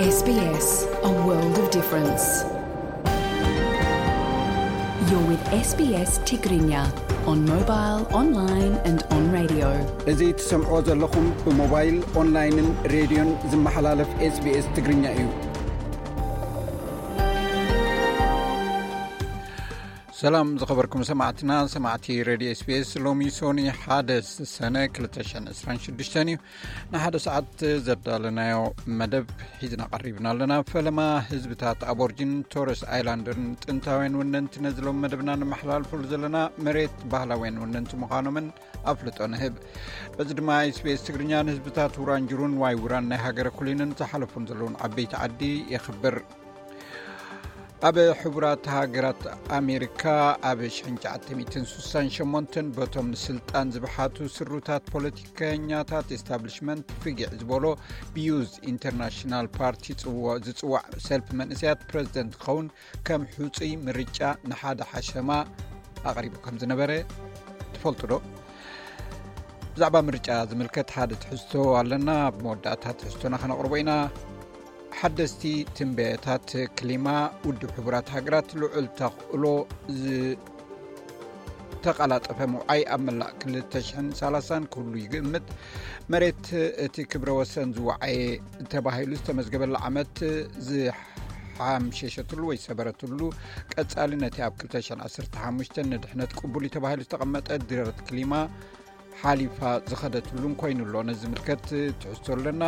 S B S, a world of difference. You're with S B S Tigrinya on mobile, online and on radio. እዚ ትሰምዖ ዘለኹም ብሞባይል፣ ኦንላይንን ሬድዮን ዝመሓላለፍ SBS ትግርኛ እዩ። ሰላም ዝኸበርኩም ሰማዕትና፣ ሰማዕቲ ሬድዮ SBS። ሎሚ ሶኒ ሓደ ሰነ ክልተ ሽሕን ዕስራን ሽዱሽተን እዩ። ንሓደ ሰዓት ዘዳለናዮ መደብ ሒዝና ቀሪብና ኣለና። ፈለማ ህዝብታት ኣቦርጅን፣ ቶረስ ኣይላንደርን ጥንታውያን ወነንቲ ነዚ ሎም መደብና ንመሓላልፈሉ ዘለና መሬት ባህላውያን ወነንቲ ምዃኖምን ኣፍልጦ ንህብ። በዚ ድማ SBS ትግርኛ ንህዝብታት ውራንጅሩን ዋይ ውራን ናይ ሃገረ ኩሊንን ዝሓለፉን ዘለውን ዓበይቲ ዓዲ የኽብር። ኣብ ሕቡራት ሃገራት ኣሜሪካ ኣብ ሽሕን ትሽዓተ ሚእትን ስሳን ሸሞንተን በቶም ንስልጣን ዝበሓቱ ስሩታት ፖለቲከኛታት ኤስታብሊሽመንት ፍጊዕ ዝበሎ ብዩዝ ኢንተርናሽናል ፓርቲ ዝፅዋዕ ሰልፊ መንእሰያት ፕረዚደንት ክኸውን ከም ሕፁይ ምርጫ ንሓደ ሓሸማ ኣቕሪቡ ከም ዝነበረ ትፈልጡ ዶ? ብዛዕባ ምርጫ ዝምልከት ሓደ ትሕዝቶ ኣለና። ኣብ መወዳእታ ትሕዝቶና ከነቕርቦ ኢና። ሓደስቲ ትንበያታት ክሊማ፣ ውድብ ሕቡራት ሃገራት ልዑል ተኽእሎ ዝተቐላጠፈ ምውዓይ ኣብ መላእ ክልተ ሽሕን ሰላሳን ክህሉ ይግምት። መሬት እቲ ክብረ ወሰን ዝወዓየ ተባሂሉ ዝተመዝገበላ ዓመት ዝሓምሸሸትሉ ወይ ሰበረትሉ ቀጻሊ ነቲ ኣብ ክልተ ሽሕን ዓሰርተ ሓሙሽተን ንድሕነት ቅቡል እዩ ተባሂሉ ዝተቐመጠ ድረት ክሊማ ሓሊፋ ዝኸደትሉን ኮይኑ ኣሎ። ነዚ ዝምልከት ትሕዝቶ ኣለና።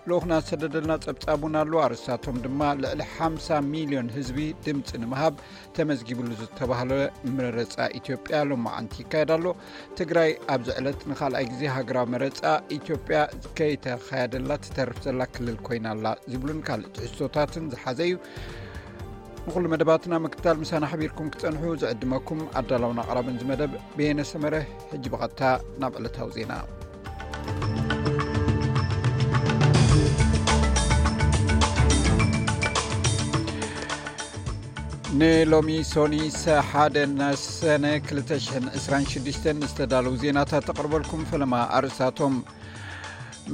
ልኡኽና ዝሰደደልና ጸብጻብ እውን ኣሎ። ኣርእስታቶም ድማ ልዕሊ ሓምሳ ሚልዮን ህዝቢ ድምጺ ንምሃብ ተመዝጊብሉ ዝተባህለ መረጻ ኢትዮጵያ ሎማዓንቲ ይካየድ ኣሎ። ትግራይ ኣብዚ ዕለት ንኻልኣይ ግዜ ሃገራዊ መረጻ ኢትዮጵያ ከይተኻየደላ ትተርፍ ዘላ ክልል ኮይና ኣላ ዝብሉን ካልእ ትሕዝቶታትን ዝሓዘ እዩ። ንኹሉ መደባትና ምክትታል ምሳና ሓቢርኩም ክትጸንሑ ዝዕድመኩም ኣዳላውን ኣቕራብን እዚ መደብ በየነ ሰመረ። ሕጂ ብቐጥታ ናብ ዕለታዊ ዜና። ንሎሚ ሶኒ ሰሓደ ሰነ ክልተ ሽሕን ዕስራን ሽዱሽተን ዝተዳለዉ ዜናታት ተቕርበልኩም። ፈለማ ኣርእስታቶም።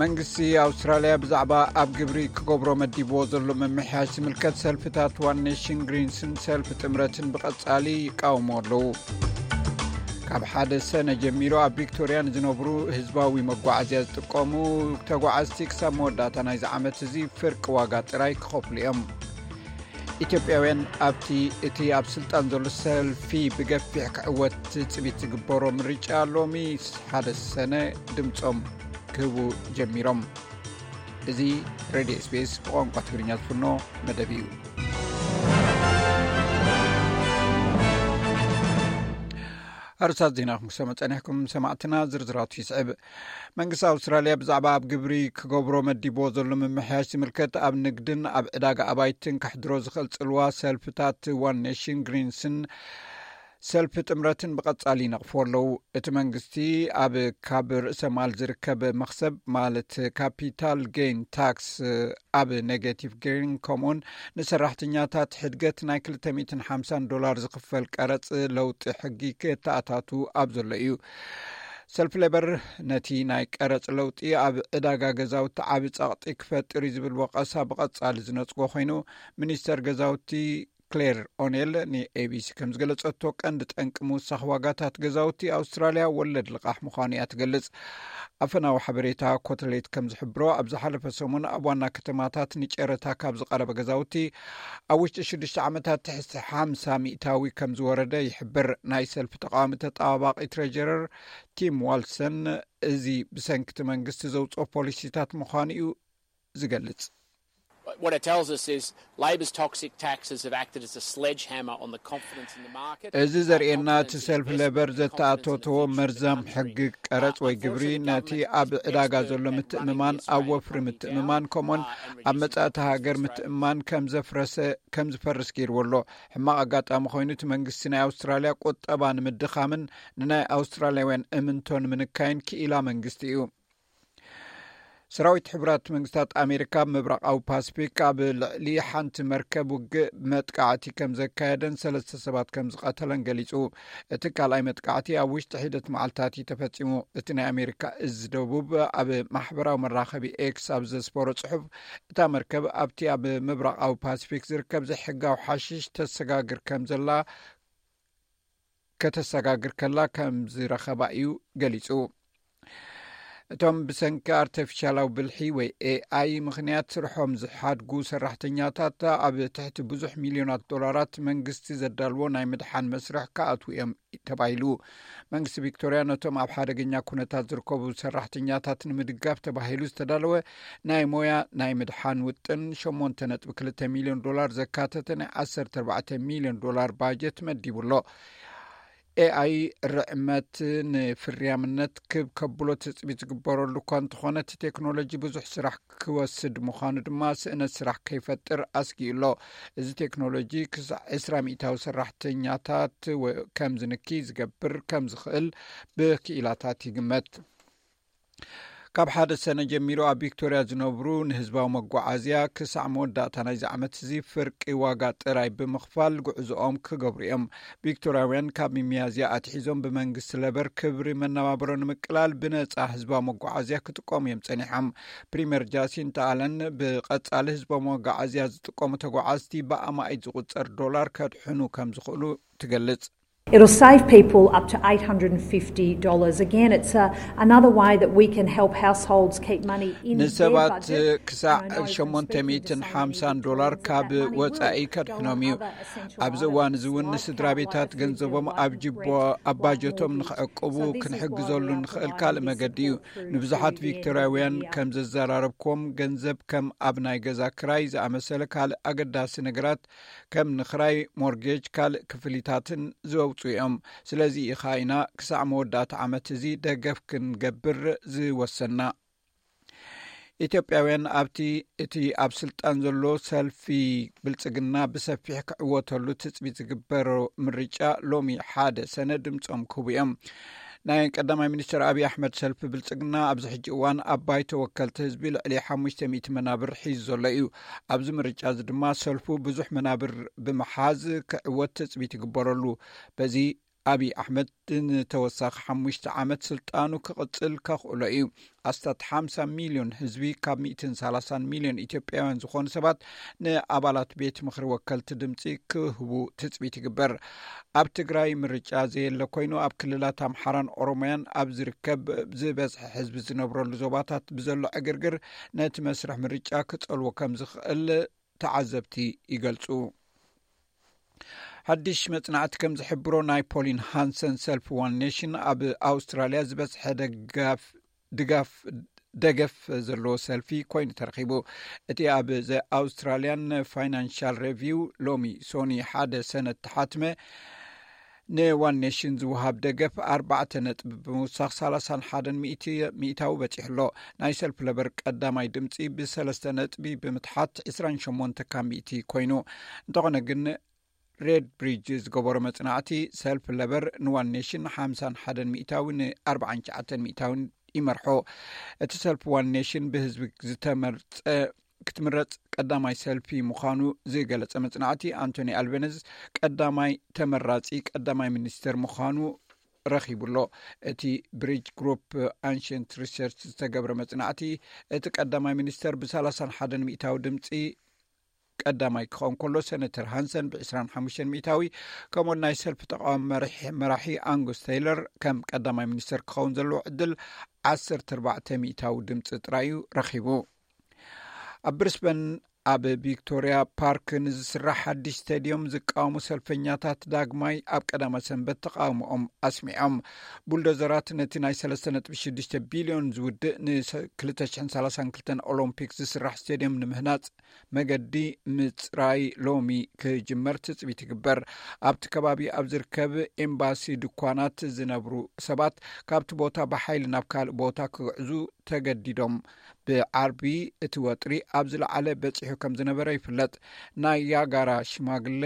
መንግስቲ ኣውስትራልያ ብዛዕባ ኣብ ግብሪ ክገብሮ መዲብዎ ዘሎ ምምሕያሽ ዝምልከት ሰልፍታት ዋን ኔሽን ግሪንስን ሰልፊ ጥምረትን ብቐጻሊ ይቃወሙ ኣለዉ። ካብ ሓደ ሰነ ጀሚሩ ኣብ ቪክቶርያ ንዝነብሩ ህዝባዊ መጓዓዝያ ዝጥቀሙ ተጓዓዝቲ ክሳብ መወዳእታ ናይዚ ዓመት እዚ ፍርቂ ዋጋ ጥራይ ክኸፍሉ እዮም። ኢትዮጵያውያን ኣብቲ እቲ ኣብ ስልጣን ዘሎ ሰልፊ ብገፊሕ ክዕወት ትጽቢት ዝግበሮ ምርጫ ሎሚ ሓደ ሰነ ድምጾም ክህቡ ጀሚሮም። እዚ ሬድዮ SBS ብቋንቋ ትግርኛ ዝፍኖ መደብ እዩ። ኣርእስታት ዜና ክንሰምዕ ጸኒሕኩም ሰማዕትና፣ ዝርዝራቱ ይስዕብ። መንግስቲ ኣውስትራልያ ብዛዕባ ኣብ ግብሪ ክገብሮ መዲብዎ ዘሎ ምምሕያሽ ዝምልከት ኣብ ንግድን ኣብ ዕዳጋ ኣባይትን ከሕድሮ ዝኽእል ጽልዋ ሰልፍታት ዋን ኔሽን ግሪንስን ሰልፊ ጥምረትን ብቐጻሊ ይነቕፍዎ ኣለዉ። እቲ መንግስቲ ኣብ ካብ ርእሰ ማል ዝርከብ መኽሰብ ማለት ካፒታል ጌን ታክስ ኣብ ኔጌቲቭ ጌን ከምኡውን ንሰራሕተኛታት ሕድገት ናይ ክልተ ሚእትን ሓምሳን ዶላር ዝኽፈል ቀረጽ ለውጢ ሕጊ ክተኣታቱ ኣብ ዘሎ እዩ። ሰልፊ ሌበር ነቲ ናይ ቀረጽ ለውጢ ኣብ ዕዳጋ ገዛውቲ ዓቢ ጸቕጢ ክፈጥር እዩ ዝብል ወቐሳ ብቐጻሊ ዝነጽጎ ኮይኑ፣ ሚኒስተር ገዛውቲ ክሌር ኦኔል ንኤቢሲ ከም ዝገለጸቶ፣ ቀንዲ ጠንቂ ምውሳኽ ዋጋታት ገዛውቲ ኣውስትራልያ ወለድ ልቓሕ ምዃኑ እያ ትገልጽ። ኣፈናዊ ሓበሬታ ኮተሌት ከም ዝሕብሮ፣ ኣብ ዝሓለፈ ሰሙን ኣብ ዋና ከተማታት ንጨረታ ካብ ዝቐረበ ገዛውቲ ኣብ ውሽጢ ሽዱሽተ ዓመታት ትሕቲ ሓምሳ ሚእታዊ ከም ዝወረደ ይሕብር። ናይ ሰልፊ ተቃዋሚ ተጣባባቂ ትሬጀረር ቲም ዋልሰን እዚ ብሰንኪ እቲ መንግስቲ ዘውፅኦ ፖሊሲታት ምዃኑ እዩ ዝገልጽ። What it tells us is Labor's toxic taxes have acted as a sledgehammer on the confidence in the market. እዚ ዘርእየና እቲ ሰልፊ ሌበር ዘተኣተተዎ መርዛም ሕጊ ቀረጽ ወይ ግብሪ ነቲ ኣብ ዕዳጋ ዘሎ ምትእምማን፣ ኣብ ወፍሪ ምትእምማን ከምኡን ኣብ መጻእቲ ሃገር ምትእምማን ከም ዘፍረሰ ከም ዝፈርስ ገይርዎ ኣሎ። ሕማቕ ኣጋጣሚ ኮይኑ እቲ መንግስቲ ናይ ኣውስትራልያ ቁጠባ ንምድኻምን ንናይ ኣውስትራልያውያን እምንቶ ንምንካይን ክኢላ መንግስቲ እዩ። ሰራዊት ሕቡራት መንግስታት ኣሜሪካ ኣብ ምብራቓዊ ፓስፊክ ኣብ ልዕሊ ሓንቲ መርከብ ውግእ መጥቃዕቲ ከም ዘካየደን ሰለስተ ሰባት ከም ዝቐተለን ገሊጹ። እቲ ካልኣይ መጥቃዕቲ ኣብ ውሽጢ ሒደት መዓልታት እዩ ተፈጺሙ። እቲ ናይ ኣሜሪካ እዝ ደቡብ ኣብ ማሕበራዊ መራኸቢ ኤክስ ኣብ ዘስፈሮ ጽሑፍ፣ እታ መርከብ ኣብቲ ኣብ ምብራቓዊ ፓስፊክ ዝርከብ ዘይሕጋዊ ሓሽሽ ተሰጋግር ከም ዘላ ከተሰጋግር ከላ ከም ዝረኸባ እዩ ገሊጹ። እቶም ብሰንኪ ኣርተፊሻላዊ ብልሒ ወይ ኤኣይ ምኽንያት ስርሖም ዝሓድጉ ሰራሕተኛታት ኣብ ትሕቲ ብዙሕ ሚልዮናት ዶላራት መንግስቲ ዘዳልዎ ናይ ምድሓን መስርሕ ክኣትዉ እዮም ተባሂሉ። መንግስቲ ቪክቶርያ ነቶም ኣብ ሓደገኛ ኩነታት ዝርከቡ ሰራሕተኛታት ንምድጋፍ ተባሂሉ ዝተዳለወ ናይ ሞያ ናይ ምድሓን ውጥን ሸሞንተ ነጥቢ ክልተ ሚልዮን ዶላር ዘካተተ ናይ ዓሰርተ ኣርባዕተ ሚልዮን ዶላር ባጀት መዲቡ ኣሎ። ኤኣይ ርዕመት ንፍርያምነት ክብ ከብሎ ትጽቢት ዝግበረሉ እኳ እንተኾነ፣ እቲ ቴክኖሎጂ ብዙሕ ስራሕ ክወስድ ምዃኑ ድማ ስእነት ስራሕ ከይፈጥር ኣስጊኡ ኣሎ። እዚ ቴክኖሎጂ ክሳዕ ዕስራ ሚእታዊ ሰራሕተኛታት ወ-፣ ከም ዝንኪ ዝገብር ከም ዝኽእል ብክኢላታት ይግመት። ካብ ሓደ ሰነ ጀሚሩ ኣብ ቪክቶርያ ዝነብሩ ንህዝባዊ መጓዓዝያ ክሳዕ መወዳእታ ናይዚ ዓመት እዚ ፍርቂ ዋጋ ጥራይ ብምኽፋል ጉዕዞኦም ክገብሩ እዮም። ቪክቶርያውያን ካብ ሚያዝያ ኣትሒዞም ብመንግስቲ ለበር ክብሪ መነባብሮ ንምቅላል ብነጻ ህዝባዊ መጓዓዝያ ክጥቀሙ እዮም ጸኒሖም። ፕሪምየር ጃሲንታ ኣለን ብቐጻሊ ህዝባዊ መጓዓዝያ ዝጥቀሙ ተጓዓዝቲ ብኣማኢት ዝቑጸር ዶላር ከድሕኑ ከም ዝኽእሉ ትገልጽ። It'll save people up to eight hundred and fifty dollars. Again, it's uh, another way that we can help households keep money in their ንሰባት budget. ክሳዕ And I know from ሸሞንተ speaking to ሚእትን some ሓምሳን individuals ዶላር that ካብ that money ወጻኢ will go ከድሕኖም on እዩ። other essential ኣብዚ እዋን items እዚ እውን like ንስድራ car ቤታት allowance, food ገንዘቦም bill, ኣብ light and ጅቦ bread, ኣብ ባጀቶም mortgage. ንኽዕቅቡ So this is ክንሕግዞ why we ንኽእል underline ካልእ this መገዲ እዩ። support through ንብዙሓት through the ቪክቶርያውያን media. ከም ዘዘራረብኩም ገንዘብ ከም ኣብ ናይ ገዛ ክራይ ዝኣመሰለ ካልእ ኣገዳሲ ነገራት ከም ንኽራይ ሞርጌጅ ካልእ ክፍሊታትን ዘውፅኡ እዮም። ስለዚ ኢኻ ኢና ክሳዕ መወዳእታ ዓመት እዚ ደገፍ ክንገብር ዝወሰና። ኢትዮጵያውያን ኣብቲ እቲ ኣብ ስልጣን ዘሎ ሰልፊ ብልጽግና ብሰፊሕ ክዕወተሉ ትጽቢት ዝግበሮ ምርጫ ሎሚ ሓደ ሰነ ድምጾም ክህቡ እዮም። ናይ ቀዳማይ ሚኒስትር ኣብይ ኣሕመድ ሰልፊ ብልጽግና ኣብዚ ሕጂ እዋን ኣብ ባይቶ ወከልቲ ህዝቢ ልዕሊ ሓሙሽተ ሚእቲ መናብር ሒዙ ዘሎ እዩ። ኣብዚ ምርጫ እዚ ድማ ሰልፉ ብዙሕ መናብር ብምሓዝ ክዕወት ትጽቢት ይግበረሉ። በዚ ኣብይ ኣሕመድ ንተወሳኺ ሓሙሽተ ዓመት ስልጣኑ ክቕጽል ከኽእሎ እዩ። ኣስታት ሓምሳ ሚልዮን ህዝቢ ካብ ሚእትን ሰላሳን ሚልዮን ኢትዮጵያውያን ዝኾኑ ሰባት ንኣባላት ቤት ምኽሪ ወከልቲ ድምፂ ክህቡ ትፅቢት ይግበር። ኣብ ትግራይ ምርጫ ዘየለ ኮይኑ ኣብ ክልላት ኣምሓራን ኦሮሞያን ኣብ ዝርከብ ዝበዝሐ ህዝቢ ዝነብረሉ ዞባታት ብዘሎ ዕግርግር ነቲ መስርሕ ምርጫ ክጸልዎ ከም ዝኽእል ተዓዘብቲ ይገልጹ። ሓድሽ መጽናዕቲ ከም ዝሕብሮ ናይ ፖሊን ሃንሰን ሰልፊ ዋን ኔሽን ኣብ ኣውስትራልያ ዝበዝሐ ደጋፍ ድጋፍ ደገፍ ዘለዎ ሰልፊ ኮይኑ ተረኺቡ። እቲ ኣብ ዘ ኣውስትራልያን ፋይናንሻል ሬቪው ሎሚ ሶኒ ሓደ ሰነ ተሓትመ ንዋን ኔሽን ዝወሃብ ደገፍ ኣርባዕተ ነጥቢ ብምውሳኽ ሰላሳን ሓደን ሚእታዊ በፂሑ ኣሎ። ናይ ሰልፊ ለበር ቀዳማይ ድምፂ ብሰለስተ ነጥቢ ብምትሓት ዕስራን ሸሞንተ ካብ ሚእቲ ኮይኑ። እንተኾነ ግን ሬድ ብሪጅ ዝገበሮ መፅናዕቲ ሰልፊ ለበር ንዋን ኔሽን ሓምሳን ሓደን ሚእታዊ ንኣርባዓን ትሽዓተን ሚእታዊ ይመርሖ። እቲ ሰልፊ ዋን ኔሽን ብህዝቢ ዝተመርፀ ክትምረፅ ቀዳማይ ሰልፊ ምዃኑ ዝገለፀ መፅናዕቲ ኣንቶኒ ኣልቤነዝ ቀዳማይ ተመራፂ ቀዳማይ ሚኒስተር ምዃኑ ረኺቡ ኣሎ። እቲ ብሪጅ ግሩፕ ኣንሽንት ሪሰርች ዝተገብረ መፅናዕቲ እቲ ቀዳማይ ሚኒስተር ብ ሰላሳን ሓደን ሚእታዊ ድምፂ ቀዳማይ ክኸውን ከሎ ሰነተር ሃንሰን ብ ዕስራን ሓሙሽተን ሚእታዊ ከምኡ ናይ ሰልፊ ተቃዋሚ መራሒ ኣንጉስ ቴይለር ከም ቀዳማይ ሚኒስተር ክኸውን ዘለዎ ዕድል ዓሰርተ ኣርባዕተ ሚእታዊ ድምፂ ጥራይ እዩ ረኺቡ። ኣብ ብሪስበን ኣብ ቪክቶርያ ፓርክ ንዝስራሕ ሓድሽ ስቴድዮም ዝቃወሙ ሰልፈኛታት ዳግማይ ኣብ ቀዳማይ ሰንበት ተቃውሞኦም ኣስሚዖም። ቡልዶዘራት ነቲ ናይ ሰለስተ ነጥቢ ሽዱሽተ ቢልዮን ዝውድእ ን2032 ኦሎምፒክ ዝስራሕ ስቴድዮም ንምህናጽ መገዲ ምጽራይ ሎሚ ክጅመር ትጽቢት ይግበር። ኣብቲ ከባቢ ኣብ ዝርከብ ኤምባሲ ድኳናት ዝነብሩ ሰባት ካብቲ ቦታ ብሓይሊ ናብ ካልእ ቦታ ክግዕዙ ተገዲዶም። ብዓርቢ እቲ ወጥሪ ኣብ ዝለዓለ በጺሑ ከም ዝነበረ ይፍለጥ። ናያጋራ ሽማግለ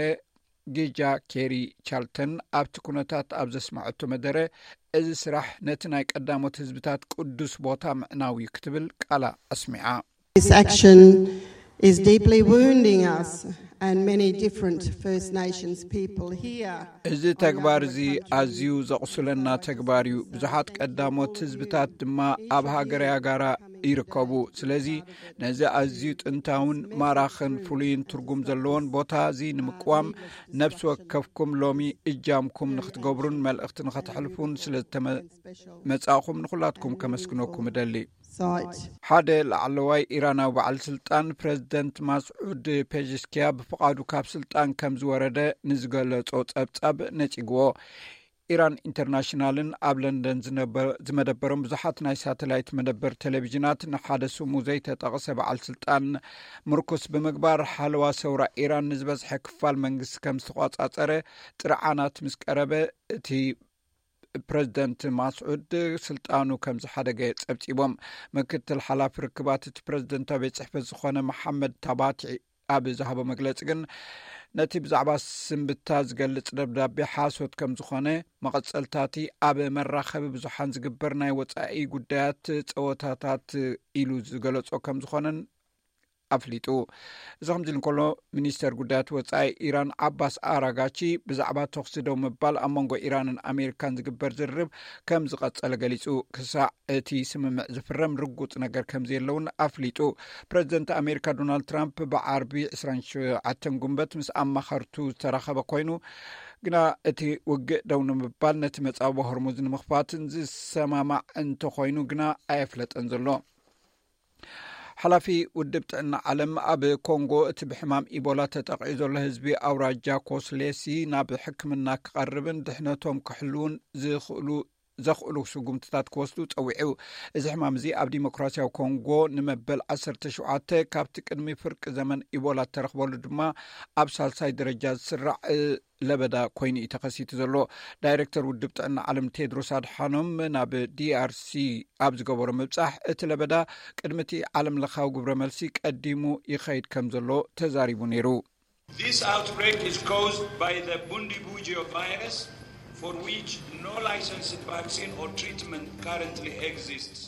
ጊጃ ኬሪ ቻልተን ኣብቲ ኩነታት ኣብ ዘስመዐቶ መደረ፣ እዚ ስራሕ ነቲ ናይ ቀዳሞት ህዝብታት ቅዱስ ቦታ ምዕናው እዩ ክትብል ቃላ ኣስሚዓ። This action is deeply wounding us and many different First Nations people here. እዚ ተግባር እዚ ኣዝዩ ዘቕሱለና ተግባር እዩ። ብዙሓት ቀዳሞት ህዝብታት ድማ ኣብ ሃገረ ኣጋራ ይርከቡ። ስለዚ ነዚ ኣዝዩ ጥንታውን ማራኽን ፍሉይን ትርጉም ዘለዎን ቦታ እዚ ንምቅዋም ነፍሲ ወከፍኩም ሎሚ እጃምኩም ንክትገብሩን መልእኽቲ ንኸተሕልፉን ስለ ዝተመጻእኹም ንኹላትኩም ከመስግነኩም እደሊ። ሓደ ላዕለዋይ ኢራናዊ በዓል ስልጣን ፕረዚደንት ማስዑድ ፔዜሽኪያ ብፍቓዱ ካብ ስልጣን ከም ዝወረደ ንዝገለጾ ጸብጻብ ነጺግዎ። ኢራን ኢንተርናሽናልን ኣብ ለንደን ዝመደበሮም ብዙሓት ናይ ሳተላይት መደበር ቴሌቪዥናት ንሓደ ስሙ ዘይተጠቕሰ በዓል ስልጣን ምርኩስ ብምግባር ሓለዋ ሰውራ ኢራን ንዝበዝሐ ክፋል መንግስቲ ከም ዝተቆጻጸረ ጥርዓናት ምስ ቀረበ እቲ ፕረዚደንት ማስዑድ ስልጣኑ ከም ዝሓደገ ጸብጺቦም። ምክትል ሓላፊ ርክባት እቲ ፕረዚደንታዊ ቤት ጽሕፈት ዝኾነ መሓመድ ታባቲ ኣብ ዝሃቦ መግለጺ ግን ነቲ ብዛዕባ ስንብታ ዝገልጽ ደብዳቤ ሓሶት ከም ዝኾነ መቐጸልታቲ ኣብ መራኸቢ ብዙሓን ዝግበር ናይ ወጻኢ ጉዳያት ጸወታታት ኢሉ ዝገለጾ ከም ዝኾነን ኣፍሊጡ። እዚ ከምዚ እንከሎ ሚኒስተር ጉዳያት ወጻኢ ኢራን ዓባስ ኣራጋቺ ብዛዕባ ተኹሲ ደው ምባል ኣብ መንጎ ኢራንን ኣሜሪካን ዝግበር ዝርርብ ከም ዝቐጸለ ገሊጹ። ክሳዕ እቲ ስምምዕ ዝፍረም ርጉጽ ነገር ከም ዘየለውን ኣፍሊጡ። ፕረዚደንት ኣሜሪካ ዶናልድ ትራምፕ ብዓርቢ ዕስራን ሸውዓተን ጉንበት ምስ ኣማኸርቱ ዝተራኸበ ኮይኑ ግና እቲ ውግእ ደው ንምባል ነቲ መጻወ ሆርሙዝ ንምኽፋትን ዝሰማማዕ እንተኾይኑ ግና ኣየፍለጠን ዘሎ። ሓላፊ ውድብ ጥዕና ዓለም ኣብ ኮንጎ እቲ ብሕማም ኢቦላ ተጠቒዑ ዘሎ ህዝቢ ኣውራጃ ኮስሌሲ ናብ ሕክምና ክቐርብን ድሕነቶም ክሕልውን ዝኽእሉ ዘኽእሉ ስጉምትታት ክወስዱ ጸዊዑ። እዚ ሕማም እዚ ኣብ ዲሞክራሲያዊ ኮንጎ ንመበል ዓሰርተ ሸውዓተ ካብቲ ቅድሚ ፍርቂ ዘመን ኢቦላ እተረኽበሉ ድማ ኣብ ሳልሳይ ደረጃ ዝስራዕ ለበዳ ኮይኑ እዩ ተኸሲቱ ዘሎ። ዳይሬክተር ውድብ ጥዕና ዓለም ቴድሮስ ኣድሓኖም ናብ ዲኣርሲ ኣብ ዝገበሮ ምብጻሕ እቲ ለበዳ ቅድሚ እቲ ዓለም ለኻዊ ግብረ መልሲ ቀዲሙ ይኸይድ ከም ዘሎ ተዛሪቡ ነይሩ። This outbreak is caused by the Bundibugyo virus, for which no licensed vaccine or treatment currently exists.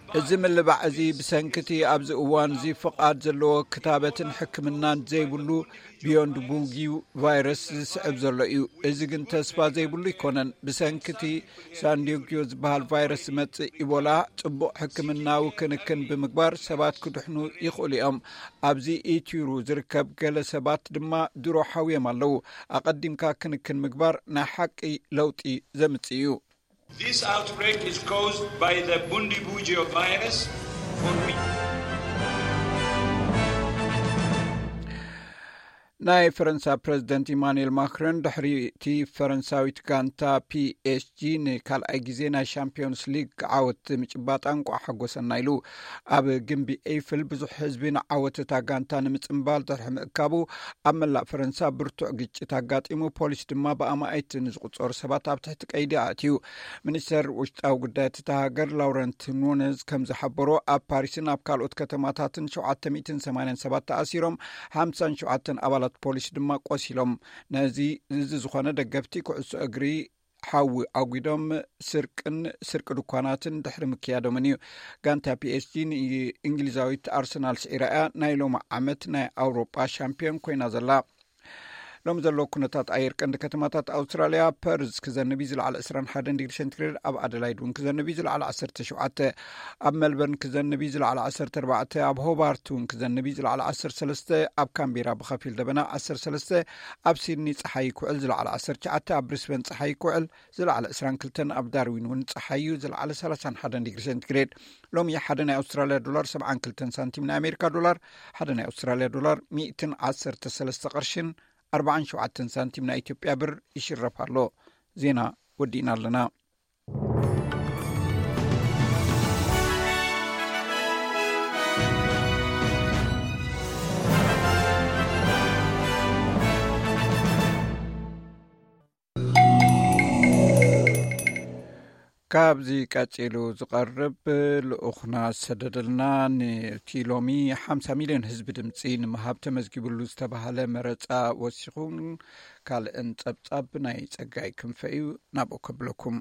እዚ ምልባዕ እዚ ብሰንኪ እቲ ኣብዚ እዋን እዚ ፍቓድ ዘለዎ ክታበትን ሕክምናን ዘይብሉ ቢዮንድ ቡጊ ቫይረስ ዝስዕብ ዘሎ እዩ። እዚ ግን ተስፋ ዘይብሉ ኣይኮነን። ብሰንኪ እቲ ሳንዲዮግዮ ዝበሃል ቫይረስ ዝመጽእ ኢቦላ ጽቡቕ ሕክምናዊ ክንክን ብምግባር ሰባት ክድሕኑ ይኽእሉ እዮም። ኣብዚ ኢትዩሩ ዝርከብ ገለ ሰባት ድማ ድሮ ሓውዮም ኣለዉ። ኣቐዲምካ ክንክን ምግባር ናይ ሓቂ ለውጢ ዘምጽእ እዩ። This outbreak is caused by the Bundibugyo virus, for which ናይ ፈረንሳ ፕረዚደንት ኢማኑኤል ማክሮን ድሕሪ እቲ ፈረንሳዊት ጋንታ ፒኤስጂ ንካልኣይ ግዜ ናይ ሻምፒዮንስ ሊግ ዓወት ምጭባጣ እንቋዕ ሓጎሰና ኢሉ። ኣብ ግንቢ ኤይፍል ብዙሕ ህዝቢ ንዓወት እታ ጋንታ ንምጽንባል ድሕሪ ምእካቡ ኣብ መላእ ፈረንሳ ብርቱዕ ግጭት ኣጋጢሙ፣ ፖሊስ ድማ ብኣማኢት ንዝቑጸሩ ሰባት ኣብ ትሕቲ ቀይዲ ኣእትዩ። ሚኒስተር ውሽጣዊ ጉዳያት እታ ሃገር ላውረንት ኑነዝ ከም ዝሓበሮ ኣብ ፓሪስን ኣብ ካልኦት ከተማታትን ሸውዓተ ሚእትን ሰማንያን ሰባት ተኣሲሮም፣ ሓምሳን ሸውዓተን ኣባላት ፖሊስ ድማ ቆሲሎም። ነዚ እዚ ዝኾነ ደገፍቲ ኩዕሶ እግሪ ሓዊ ኣጒዶም ስርቅን ስርቂ ድኳናትን ድሕሪ ምክያዶምን እዩ። ጋንታ ፒኤስጂ ንእንግሊዛዊት ኣርሰናል ስዒራ እያ ናይ ሎሚ ዓመት ናይ ኣውሮጳ ሻምፒዮን ኮይና ዘላ። ሎሚ ዘሎ ኩነታት ኣየር ቀንዲ ከተማታት ኣውስትራልያ፣ ፐርዝ ክዘንብ እዩ ዝለዓለ ዕስራን ሓደን ዲግሪ ሴንቲግሬድ፣ ኣብ ኣደላይድ እውን ክዘንብ እዩ ዝለዓለ ዓሰርተ ሸውዓተ፣ ኣብ ሜልበርን ክዘንብ እዩ ዝለዓለ ዓሰርተ ኣርባዕተ፣ ኣብ ሆባርት እውን ክዘንብ እዩ ዝለዓለ ዓሰርተ ሰለስተ፣ ኣብ ካምቤራ ብኸፊል ደበና ዓሰርተ ሰለስተ፣ ኣብ ሲድኒ ጸሓይ ክውዕል ዝለዓለ ዓሰርተ ትሽዓተ፣ ኣብ ብሪስበን ጸሓይ ክውዕል ዝለዓለ ዕስራን ክልተን፣ ኣብ ዳርዊን እውን ጸሓይ እዩ ዝለዓለ ሰላሳን ሓደን ዲግሪ ሴንቲግሬድ። ሎሚ ሓደ ናይ ኣውስትራልያ ዶላር ሰብዓን ክልተን ሳንቲም፣ ናይ ኣሜሪካ ዶላር ሓደ ናይ ኣውስትራልያ ዶላር ሚእትን ዓሰርተ ሰለስተ ቅርሽን ኣርባዓን ሸውዓተን ሳንቲም ናይ ኢትዮጵያ ብር ይሽረፍ ኣሎ። ዜና ወዲእና ኣለና። ካብዚ ቀጺሉ ዝቐርብ ልኡኽና ዝሰደደልና፣ ነቲ ሎሚ ሓምሳ ሚልዮን ህዝቢ ድምጺ ንምሃብ ተመዝጊብሉ ዝተባህለ መረጻ ወሲኹን ካልእን ጸብጻብ ናይ ጸጋይ ክንፈ እዩ። ናብኡ ከብለኩም።